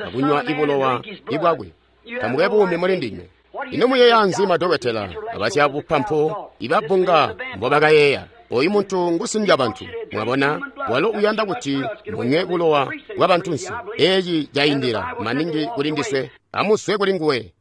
akunywa ibulowa ibwakwe, tamukwe buumi muli ndinywe. Ino muyeeya nzi madokotela abasyabupampu ibabunga mbobakayeeya? Oyu muntu ngusindya bantu. Mwabona, walo uyanda kuti munywe bulowa bwa bantunsi. Eeci caindila maningi kuli ndiswe. Amuswe kuli nguwe.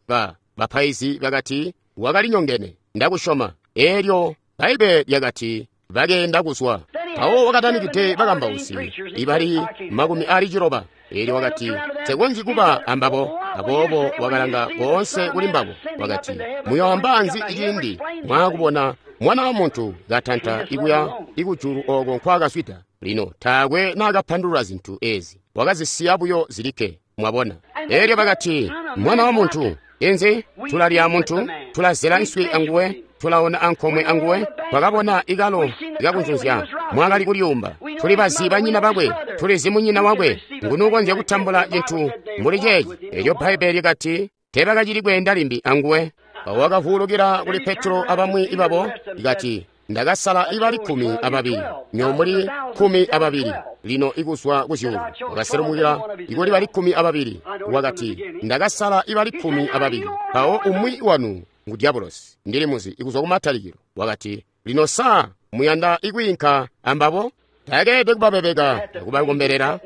Bapaizi bakati wakali nyongene. Ndakusyoma. Eelyo Bbaibbele lyakati bakeenda kuzwa. Mpawo wakatanikide bakambausi ibali 90. Eelyo wakati, nsekonzyi kuba ambabo. Aboobo wakalanga koonse kuli mbabo. Wakati, muyoamba nzi ciindi mwaakubona Mwana wa Muntu katanta ikuya ikujulu ooko nkwaakazwida? Lino taakwe naakapandulula zintu eezi, wakazisiya buyo zilikke. Mwabona? Eelyo bakati, Mwana wa Muntu, inzi? Tulalya muntu, tulazela nswi anguwe, tulaona ankomwe anguwe, twakabona ikalo ikakunzunzya mwakali kulyuumba, tuli bazi banyina bakwe, tulizi munyina wakwe, nguni ukonzya kutambula cintu mbuli ceeci? Eelyo Bbaibbele lyakati teebakacili kweenda limbi anguwe. Wakavuulukila kuli Petro abamwi ibabo, ikati, ndakasala ibali 12, nyo muli 12, lino ikuzwa kuzyuulu. Wakaselumukila ikuli bali 12, wakati, ndakasala ibali 12, mpawo umwi wanu ngu Diabolosi, ndili muzi ikuzwa kumatalikilo. Wakati, lino saa muyanda ikwiinka ambabo? Takeelede kubabebeka akubakombelela.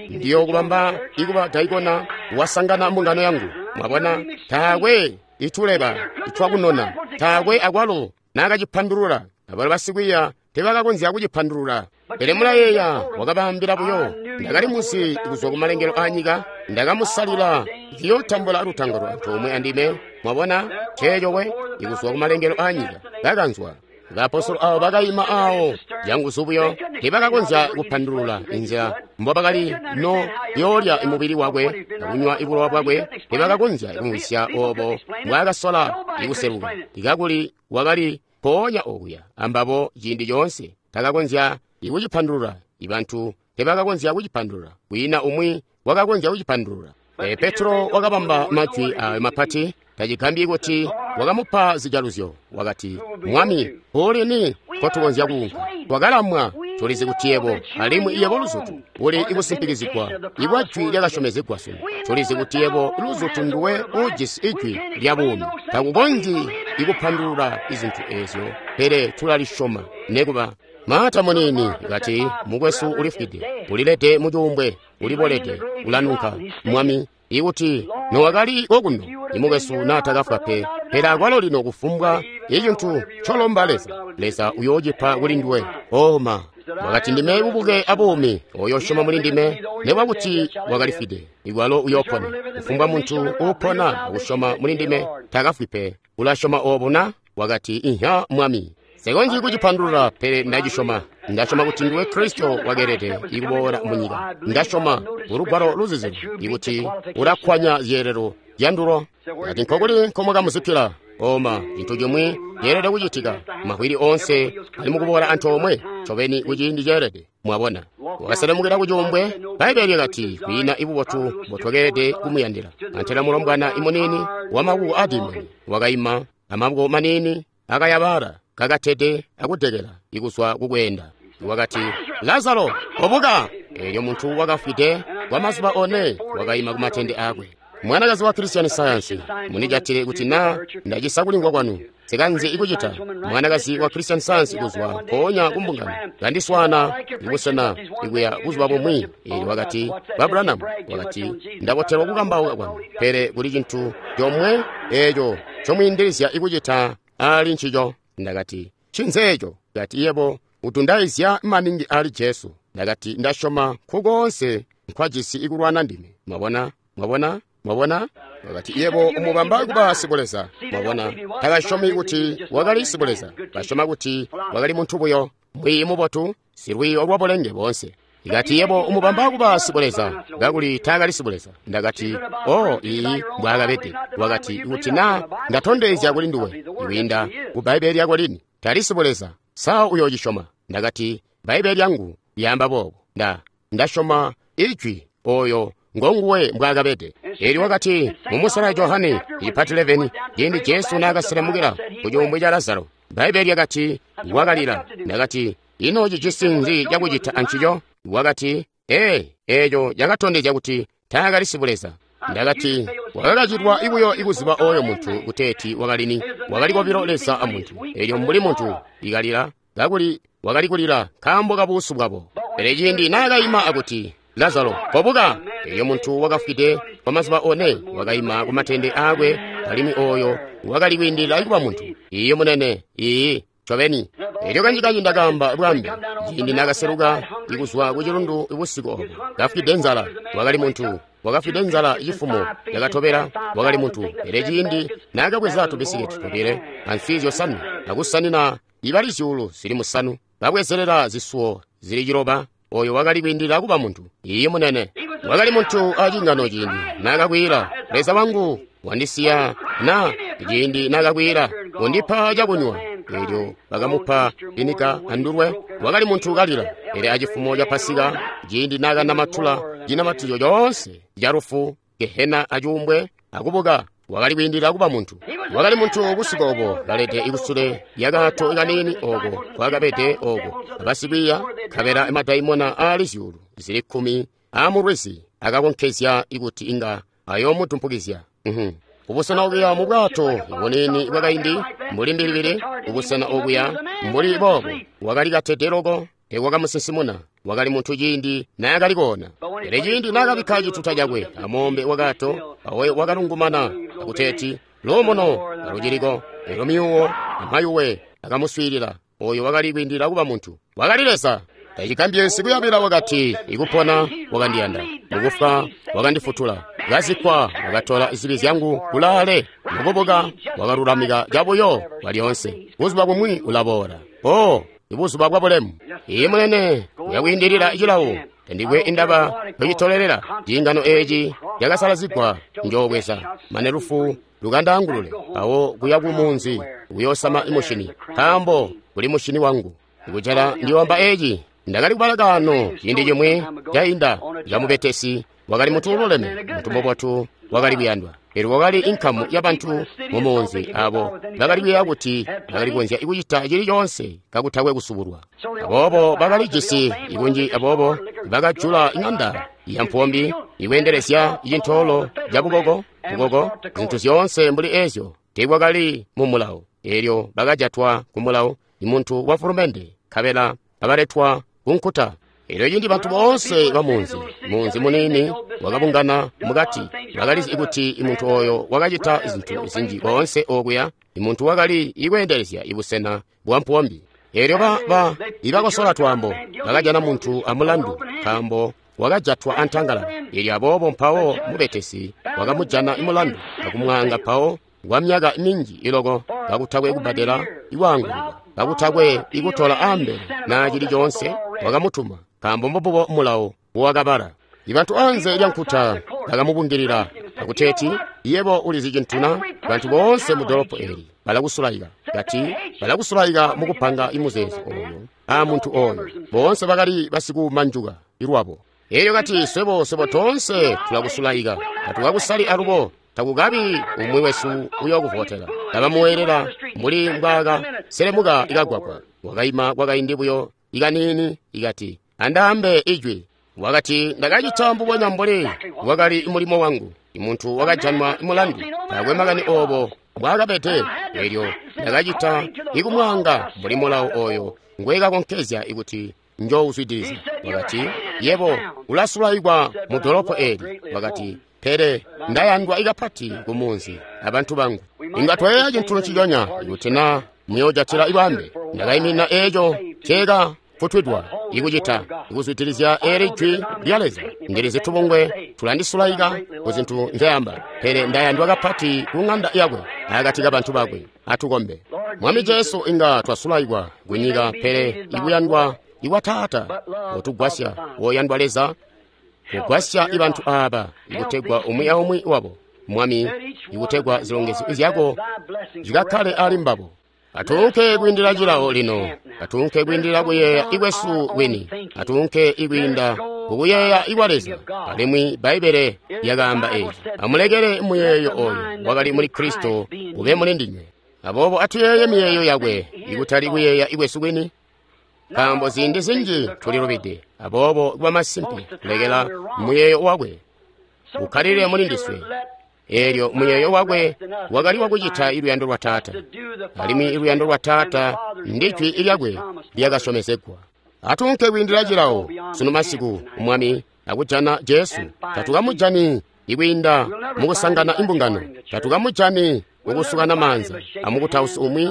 Ndiyo kubamba ikuba daikona wasangana mbungano yangu. Mwabona, taakwe ituleba itwakunona, taakwe akwalo naakacipandulula. Abalo basikwiiya teebakakonzya kucipandulula. Pele mulayeeya wakabaambila buyo, ndakali muzi kuzwa kumalengelo aanyika, ndakamusalila ndiyootambula lutangalo antoomwe andime. Mwabona, ceeco we ikuzwa kumalengelo aanyika kakanzwa. Baapostolo aabo bakaima aawo canguzu buyo, teebakakonzya kupandulula inzila mbobakali no yoolya mubili wakwe akunywa ibulowa bwakwe. Teebakakonzya kumvwisya oobo mbwaakasola ikuseluka, ikakuli wakali mpoonya okuya ambabo ciindi coonse. Takakonzya ikucipandulula. Ibantu teebakakonzya kucipandulula. Kwiina umwi wakakonzya kucipandulula. Petro wakabamba majwi ayo mapati. Tacigambyi kuti wakamupa zijaluzyo. Wakati, Mwami, mpoli nkotukonzya kuunka? Twakalamwa, tulizi kuti yebo, alimwi yebo luzutu uli ikusimpikizigwa ibwa jwi lyakasyomezegwa sunu. Tulizi kuti yebo luzutu nduwe uujisi ijwi lya buumi. Takukonzyi ikupandulula izintu ezyo, pele tulalisyoma nekuba. Marta muniini kati, mukwesu ulifwide, ulilede mucuumbwe, ulibolede, ulanunka. Mwami, ikuti nowakali kokuno, imukwesu naatakafwa pe. Pele akwalo lino kufumbwa icintu ncolomba Leza, Leza uyoocipa kuli nduwe. Oma wakati, ndime bubuke abuumi, oyo usyoma muli ndime, nekuba kuti wakalifwide, ikwalo uyoopona. Kufumbwa muntu uupona akusyoma muli ndime takafwi pe. Ulasyoma oobu na? Wakati, inhya Mwami. Nsikonzyi kucipandulula, pele ndacisyoma. Ndasyoma kuti nduwe Kristo wakeelede ikuboola munyika. Ndasyoma ulugwalo luzizilu ikuti ulakkwanya zyeelelo zyandulo. Kati nkokuli nkomwakamuzikkila? Oma, cintu cimwi ceelede kucitika. Mavwili onse ali mukuboola antoomwe ncobeni kuciindi ceelede. Mwabona, wakaselemukila kucuumbwe. Bbaibbele lyakati kwiina ibubotu mbotwakeelede kumuyandila. Antela mulombwana imuniini wamakuko adimoni wakaima amaboko maniini akayabala kakatede akudekela ikuzwa kukweenda. Wakati, Lazaro, obuka! Elyo muntu wakafwide kwa mazuba one wakaima kumatende akwe. Mwanakazi wa Christian Science, munijatile kuti na ndacisa kulingwa kwanu sikanze ikucita. Mwanakazi wa Christian Science kuzwa mpoonya kumbungano kandiswaana ibusena ikuya buzuba bumwi. Elyo wakati, Ba Branham, wakati, ndabotelwa kukambauka kwanu, pele kuli cintu comwe eco comwiindilizya ikucita ali ncico. Ndakati, ncinzeeco? Kati, yebo utundaizya maningi ali Jesu. Ndakati, ndasyoma nkukoonse nkwajisi ikulwana ndime. Mwabona? Mwabona? Mwabona? Wakati, yebo umubamba kuba sibuleza. Mwabona? Takasyomi kuti wakali sibuleza. Basyoma kuti wakali muntu buyo, mwiiyi mubotu, silwiiyo lwa bulenge boonse. Ikati, yebo umubamba kuba sibuleza, kakuli taakali sibuleza. Ndakati, oh, iyi mbwaakabede. Wakati, kuti na ndatondezya kuli nduwe ikwiinda ku Bbaibbele lyako lini, tali sibuleza, sa uyoocisyoma? Ndakati, Bbaibbele lyangu lyaamba boobo. Ndasyoma ijwi oyo ngonguwe mbwaakabede. Elyo wakati, mumusela wa Johane ipati 11, ciindi Jesu naakaselemukila ku cuumbwe ca Lazaro, Bbaibbele lyakati wakalila. Ndakati, ino cijisi nzi cakucita ancico? Wakati, ee, eeco cakatondezya kuti taakali sibuleza. Ndakati, wakakacilwa buyo ikuziba oyo muntu kuteeti wakalini, wakali kobilo Leza a muntu. Elyo mbuli muntu ikalila, kakuli wakali kulila nkaambo kabuusu bwabo. Pele ciindi naakaima akuti, Lazaro, kobuka! Elyo muntu wakafwide kwa mazuba one wakaima kumatende aakwe, alimwi oyo wakali kwiindilila kuba muntu. Iiyi munene, iiyi, ncobeni. Elyo kanjikanji ndakaamba bwambe, ciindi naakaseluka ikuzwa ku cilundu busiku obo, kafwide nzala, wakali muntu. Wakafwide nzala cifumo yakatobela, wakali muntu. Pele ciindi naakabweza tubisiketi tobile answi zyosanwe akusanina ibali 5,000, babwezelela zisuwo zili 9, oyo wakali kwiindilila kuba muntu. Iiyi munene, wakali muntu acingano ciindi naakakwiila, Leza wangu wandisiya na, ciindi naakakwiila, undipa cakunywa. Elyo bakamupa vinika andulwe. Wakali muntu kalila. Pele acifumo ca Pasika, ciindi naakanamatula cinamatizyo coonse ca lufu, gehena acuumbwe, akubuka, wakali kwiindilila kuba muntu. Wakali muntu busiku obo kalede ikusule lyakaato kaniini oko kwakabede oko abasikwiiya, nkabela madaimona aali 10,000 aamulwizi akakonkezya ikuti inga ayoomutumpukizya. Kubusena okuya mu bwato buniini bwakaindi mbuli mbilibili, kubusena okuya mbuli boobo, wakali katede loko, teewakamusinsimuna. Wakali muntu ciindi naakali koona. Pele ciindi naakabikka cituta cakwe amoombe wakaato, awe wakalungumana akuteeti, luumuno aluciliko. Elyo myuuwo amayuwe akamuswiilila. Oyo wakali kwiindilila kuba muntu. Wakali Leza. Tacigambye kuyabila wakati, ikupona wakandiyanda, mukufwa wakandifutula, kazikkwa wakatola zibi zyangu kulaale, mukubuka wakalulamika cabuyo bwalyoonse. Buzuba bumwi ulaboola. Oh, ibuzuba bwa bulemu. Iye munene, uyakwiindilila cilawo. Tandikwe indaba ncitolelela. Ciingano eeci cakasalazigwa njoobweza mane lufu lukandaangulule, awo kuya ku munzi kuyoosama mushini, nkaambo kuli mushini wangu. Ikujala ndiyoamba eeci. Ndakali kubala kaano ciindi cimwi cainda ca mubetesi wakali muntu ululeme, muntu mubotu, wakali kuyandwa. Pele wakali inkamu yabantu mu munzi abo bakali kuyeeya kuti bakali kukonzya kucita cili coonse kakutakwe kusubulwa. Aboobo bakali jisi ikunji, aboobo bakajula iŋanda ya mpombi ikweendelezya cintoolo ca bukoko, zintu zyoonse mbuli ezyo teekwakali mu mulawo. Elyo bakajatwa ku mulao, muntu wa fulumende, nkabela abaletwa ku nkuta. Elyo cindi bantu boonse ba munzi, munzi muniini wakabungana mukati, bakalizi kuti muntu oyo wakacita zintu zinji koonse okuya, muntu wakali ikweendelezya ibusena bwa mpuwombi. Elyo ibakosola twaambo, bakajana muntu amulandu, nkaambo wakajatwa antangalala. Elyo aboobo mpawo mubetesi wakamujana mulandu akumwaanga mpawo kwa myaka minji iloko, kakutakwe kubbadela ikwaangululwa, kakutakwe ikutola ambele na cili coonse, wakamutuma, nkaambo mbububo mulawo wakabala. Ibantu anze lya nkuta bakamubungilila akuteeti, yebo ulizi cintu na? Bantu boonse mu dolopo eli balakusulaika. Kati balakusulaika mukupanga imuzeezo oyo a muntu oyo. Boonse bakali basikumanjuka ilwabo. Elyo kati swebo toonse tulakusulaika, tatukakusali alubo, takukabi umwi wesu uyokuvotela. Kabamuwelela mbuli mbwaka selemuka ikagwagwa. Wakaima kwakaindi buyo ikanini, ikati andaambe ijwi. Wakati ndakacita mbubonya mbuli wakali mulimo wangu. Imuntu wakajanwa mulandu, taakwe makani obo mbwaakabede. Elyo ndakacita ikumwaanga mbuli mulawo oyo ngwekakonkezya ikuti njouzwidiliza. Wakati yebo ulasulaikwa mu dolopo eli. Wakati pele ndayandwa ikapati ku munzi abantu bangu. Inga tweeya cintu nciconya ikuti na muyoojatila ibambe. Ndakaimina eeco ceeka futwidwa ikucita ikuzwidilizya eli jwi lya Leza. Ndilizi tubungwe tulandisulaika ku zintu nzeyamba, pele ndayandwa kapati ku ng'anda yakwe akati kabantu bakwe. Atukombe. Mwami Jesu, inga twasulaikwa kunyika, pele ikuyandwa ikwa Taata otugwasya, woyandwa Leza, kugwasya ibantu aaba ikutegwa umwi aumwi wabo, Mwami, ikutegwa zilongezyo zyako zikakkale ali mbabo. Atuunke kwiindila cilawo lino, atuunke kwiindila kuyeeya ikwesu kwini, atuunke ikwiinda kukuyeeya ikwa Leza. Alimwi Bbaibbele lyakaamba eeci, amulekele muyeeyo oyo wakali muli Kristo ube muli ndinywe. Aboobo atuyeeye miyeeyo yakwe, ikutali kuyeeya ikwesu kwini, nkaambo ziindi zinji tulilubide. Aboobo kuba masimpe kulekela muyeeyo wakwe ukkalilile muli ndiswe. Elyo muyeeyo wakwe wakali wakucita iluyando lwa Taata, alimwi iluyando lwa Taata ndijwi lyakwe lyakasyomezegwa. Atuunke kwiindila cilawo sunu masiku, Mwami, akujana Jesu. Tatukamujani ikwiinda mukusangana imbungano, tatukamujani mukusukana maanza amukutausi umwi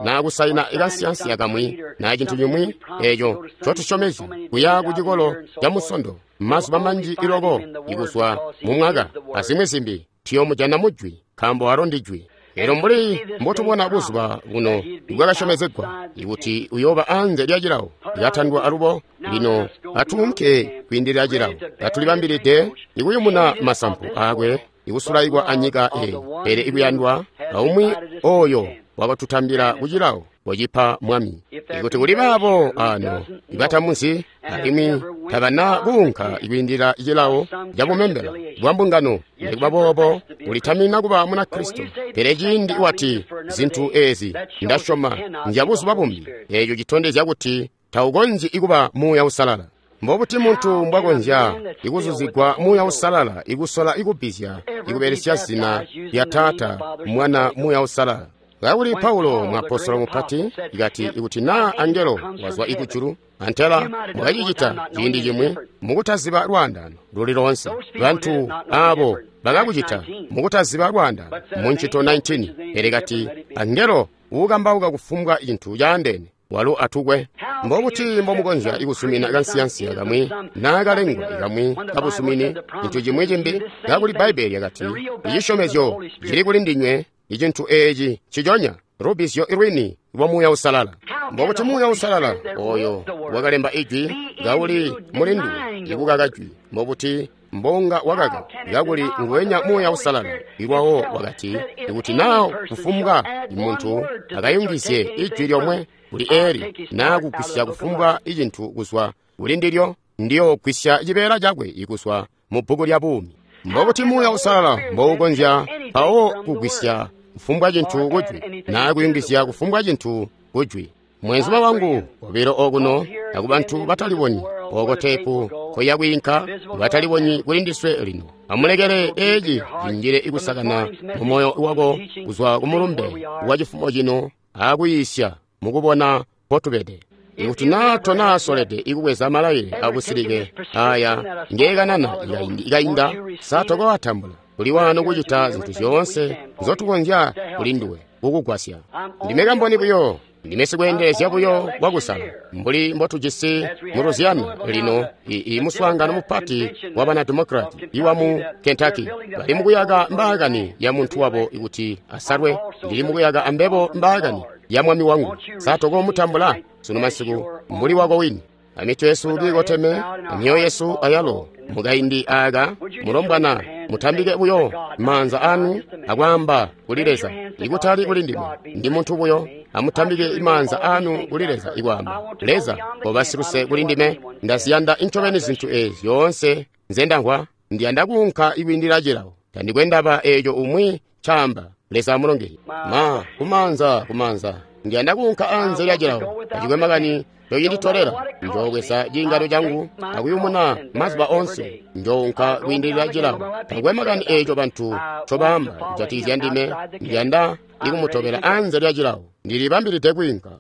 na kusaina ikansiyansiya kamwi na cintu cimwi eco ncotusyomezya kuya ku cikolo ca musondo mazuba manji iloko ikuzwa mu mwaka azimwi zimbi. Tuyomujana mujwi, nkaambo alo ndijwi. Elyo mbuli mbotubona buzuba buno bwakasyomezegwa ikuti uyooba anze lya cilawo lyatandwa alubo, lino atuunke kwiindilila cilawo katulibambilide ikuyumuna masampu aakwe ikusulaikwa anyika eyi, pele ikuyandwa aumwi oyo wakatutambila kucilawo wacipa Mwami. Ikuti kuli baabo ano ibatamuzi alimwi tabana kuunka ikwiindila cilawo cabumembela bwa mbungano, nikuba boobo ulitamina kuba muna Kristo. Pele ciindi wati zintu ezi ndasyoma nzya buzuba bumbi, eeco citondezya kuti taukonzyi ikuba Muuya Uusalala. Mbobuti muntu mbwakonzya ikuzuzigwa Muuya Uusalala ikusola ikubbizya ikubelesya zina lya Taata, Mwana, Muuya Uusalala? Kakuli Paulo muapostolo mupati ikati ikuti naa angelo wazwa ikujulu, antela mwakacicita ciindi cimwi mukutaziba lwaandano luli loonse. Bantu aabo bakakucita mukutaziba lwaandano mu ncito 19, pele kati angelo uukambauka kufumbwa cintu caandeene walo atukwe. Mbobuti mbomukonzya ikusumina kansiyansiya kamwi naa kalengwa kamwi kabusumini cintu cimwi cimbi, kakuli Bbaibbele lyakati icisyomezyo cili kuli ndinywe, icintu eeci nciconya lubbizyo lwini lwa Muuya Uusalala. Mbobuti Muuya Uusalala oyo wakalemba ijwi kauli muli nduwe ikukaka jwi? Mbobuti mbonga wakaka kakuli nguwenya Muuya Uusalala ilwawo wakati ikuti naa kufumbwa muntu akayungizye ijwi lyomwe kuli eli naa kugwisya kufumbwa icintu kuzwa kuli ndilyo, ndiyogwisya cibeela cakwe ikuzwa mu bbuku lya buumi. Mbobuti Muuya Uusalala mboukonzya mpawo kugwisya kufumbwa cintu kujwi naa kuyungizya kufumbwa cintu kujwi? Mwenzuma wangu obilo okuno akubantu batalibonyi Oko teepu koya kwiinka, batalibonyi kuli ndiswe lino. Amulekele eci cinjile ikusakana mu moyo wako kuzwa ku mulumbe wa cifumo cino akuyiisya mukubona mpotubede. Ikuti naa tonasolede ikubweza malailile akusilike aya ngeekanana ikainda, sa tokoatambula? Kuli wano kucita zintu zyoonse nzotukonzya kuli nduwe kukugwasya. Ndime kamboni buyo, ndime sikweendelezya buyo wakusala, mbuli mbotujisi mu Louisiana lino i muswaangano mupati wa bana Democrat iwa mu Kentucky. Bali mukuyaka mbaakani ya muntu wabo kuti asalwe. Ndili mukuyaka ambebo mbaakani ya mwami wangu. Sa tokomutambula sunu masiku mbuli wako wini? Amitwe yesu kiikoteme, amyoyo yesu ayalo. Mukaindi aka mulombwana, mutambike buyo maanza anu akwaamba kuli Leza, ikutali kuli ndime, ndi muntu buyo. Amutambike maanza anu kuli Leza ikwaamba, Leza, koba siluse kuli ndime, ndaziyanda incobeni zintu ezi zyoonse nzendamvwa, ndiyanda kuunka ikwiindila cilawo, tandikwe ndaba eeco umwi ncaamba. Leza amulongezye. Ma kumaanza kumaanza, ndiyanda kuunka anze lya cilawo, tacikwe makani ncoyinditolela, njoobweza ciingano cangu akuyumuna mazuba onse, njounka kwiindilila cilawo. Takwe makani eeco bantu ncobaamba kujatikizya ndime, ndiyanda ikumutobela anze lya cilawo, ndilibambilide kwiinka.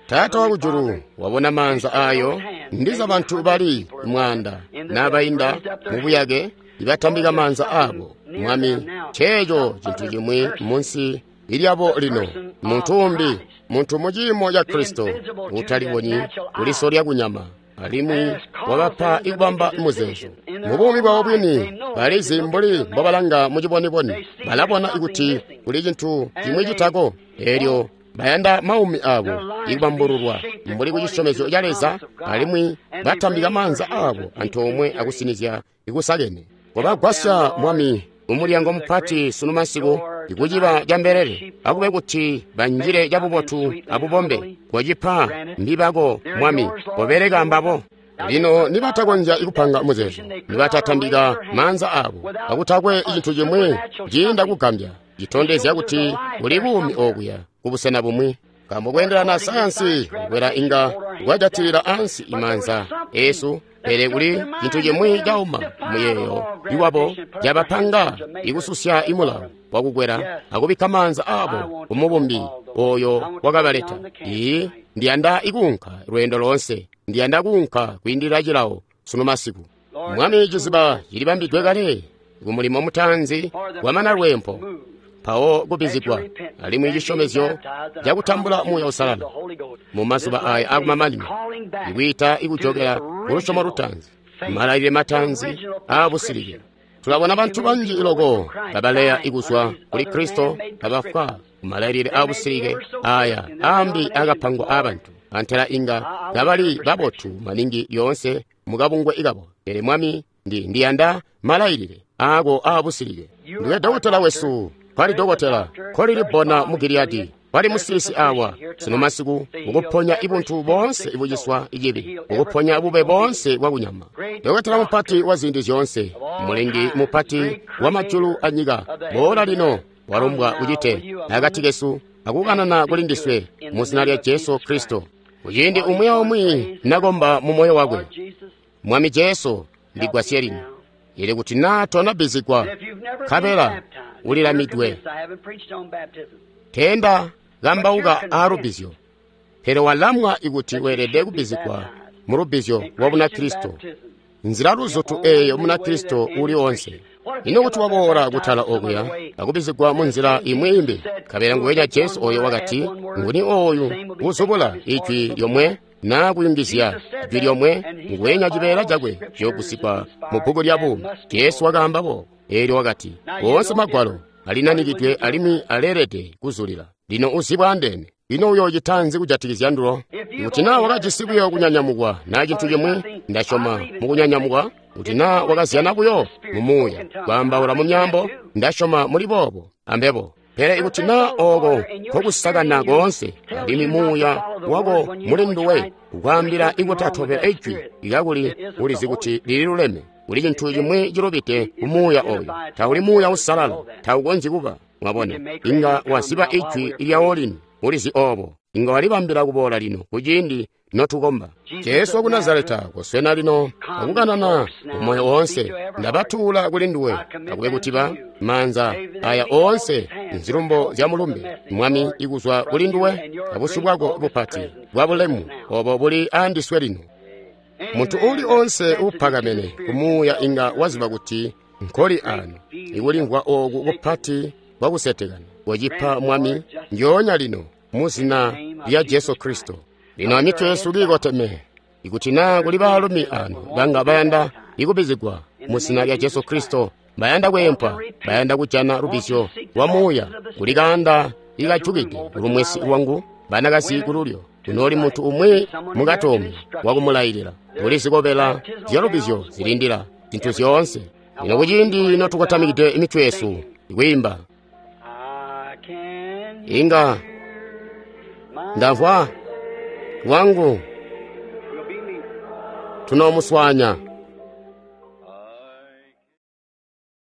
Taata wakujulu wabona maanza ayo, ndiza bantu bali mwaanda nabainda mubuyake ibatambika maanza abo. Mwami, nceeco cintu cimwi munsi ilyabo lino, muntu umbi, muntu mu ciimo ca Kristo, utalibonyi kuliso lya kunyama, alimwi wabapa ikubamba muzeezo. Mu buumi bwabo bwini, balizi mbuli mbobalanga mu ciboniboni, balabona kuti kuli cintu cimwi citako, eelyo bayanda maumi abo ikubambululwa mbuli ku cisyomezyo ca Leza, alimwi batambika maanza abo antoomwe akusinizya ikusakene. Kobagwasya, Mwami, umulyango mupati sunu masiku, ikuciba ca mbelele, akube kuti banjile cabubotu abubombe. Kocipa mbibako, Mwami, kobeleka mbabo. Lino nibatakonzya ikupanga muzeezo, nibatatambika maanza abo, akutakwe cintu cimwi ciinda kugambya, citondezya kuti kuli buumi okuya kubusena bumwi. Nkaambo kweendelana sayansi kukwela inga kwajatilila ansi imaanza esu, pele kuli cintu cimwi cauma muyeeyo iwabo cabapanga ikususya imulawo wakukwela akubikka maanza abo kumubumbi oyo wakabaleta. Ii, ndiyanda ikuunka lweendo loonse, ndiyanda kuunka kwiindilila cilawo sunu masiku. Mwami, ciziba cilibambidwe kale kumulimo mutaanzi wamana lweempo, mpawo kubbizigwa, alimwi cisyomezyo cakutambula Muuya Uusalala mu mazuba aya akumamanino, ikwiita ikujokela ku lusyomo lutaanzi, malailile mataanzi aabusilike. Tulabona bantu banji loko kabaleya ikuzwa kuli Kristo, kabafwa kumalailile aabusilike aya ambi akapangwa aabantu, antela inga kabali babotu maningi lyoonse mukabungwe ikabo. Pele Mwami, ndiyanda malailile aako aabusilike. Ndiwe dokotela wesu, kwali dokotela, kolili bona mu Giliyadi, kwali musilisi awa sunu masiku, mukuponya ibuntu boonse ibuciswa icibi, mukuponya bube boonse bwakunyama. Dokotela mupati wa ziindi zyoonse, mulengi mupati wa majulu anyika, boola lino, walombwa ucite akati kesu akukanana kuli ndiswe mu zina lya Jesu Kristo. Kuciindi umwi aumwi nakomba mu moyo wakwe, Mwami Jesu, ndigwasye lino. Ili kuti naa tonabbizigwa, nkabela ulilamidwe, tenda kambauka aalubbizyo, pele walamwa ikuti weelede kubbizigwa mu lubbizyo lwa Bunakristo, nzila luzutu eeyo Munakristo uli onse. Ino kuti waboola kutala okuya akubbizigwa mu nzila imwi imbi, nkabela nguwenya Jesu oyo wakati, nguni ooyu uzubula ijwi lyomwe naa kuyungizya jwi lyomwe, nguwenya cibeela cakwe ciyoogwisigwa mu bbuku lya buumi. Jesu wakaamba boobo, eelyo wakati, woonse magwalo alinanikidwe alimwi aleelede kuzulila. Lino uzibwa andeene. Ino uyoocita nzi kujatikizya ndulo? Kuti naa wakajisi buyo kunyanyamukwa naa cintu cimwi, ndasyoma mukunyanyamukwa. Kuti naa wakazyana buyo mu muuya, kwaambaula mu myaambo, ndasyoma muli boobo ambebo. Pele ikuti naa ooko nkokusakana koonse, alimwi muuya wako muli nduwe kukwaambila ikutatobela ijwi kakuli ulizi kuti lililuleme, kuli cintu cimwi cilubide ku muuya oyo. Tauli muuya uusalala, taukonzyi kuba. Mwabona, inga waziba ijwi lyawo lino, ulizi oobo. Inga walibambila kuboola lino kuciindi notukomba. Jesu waku Nazareta, koswena lino akukanana mumoyo woonse. Ndabatuula kuli nduwe, akube kuti ba maanza aya oonse nzilumbo zya mulumbe, Mwami, ikuzwa kuli nduwe abusyu bwako bupati bwa bulemu obo buli aandiswe lino. Muntu uuli onse uupakamene kumuuya inga waziba kuti nkoli ano, ikulimvwa ooku kupati kwakusetekana kocipa Mwami ndyoonya lino mu zina lya Jesu Kristo. Lino amitwe yesu kiikoteme, ikuti naa kuli baalumi ano banga bayanda ikubizigwa mu zina lya Jesu Kristo, bayanda kweempwa, bayanda kujana lubizyo lwa muuya, kuli kaanda ikajukide kulumwesi lwangu, banakazi kululyo, kunooli muntu umwi mukatomi wakumulailila, kuli zikobela zyalubizyo zilindila zintu zyoonse. Lino kuciindi notukotamikide mitwe yesu ikwiimba, inga ndamvwa lwangu tunoomuswanya.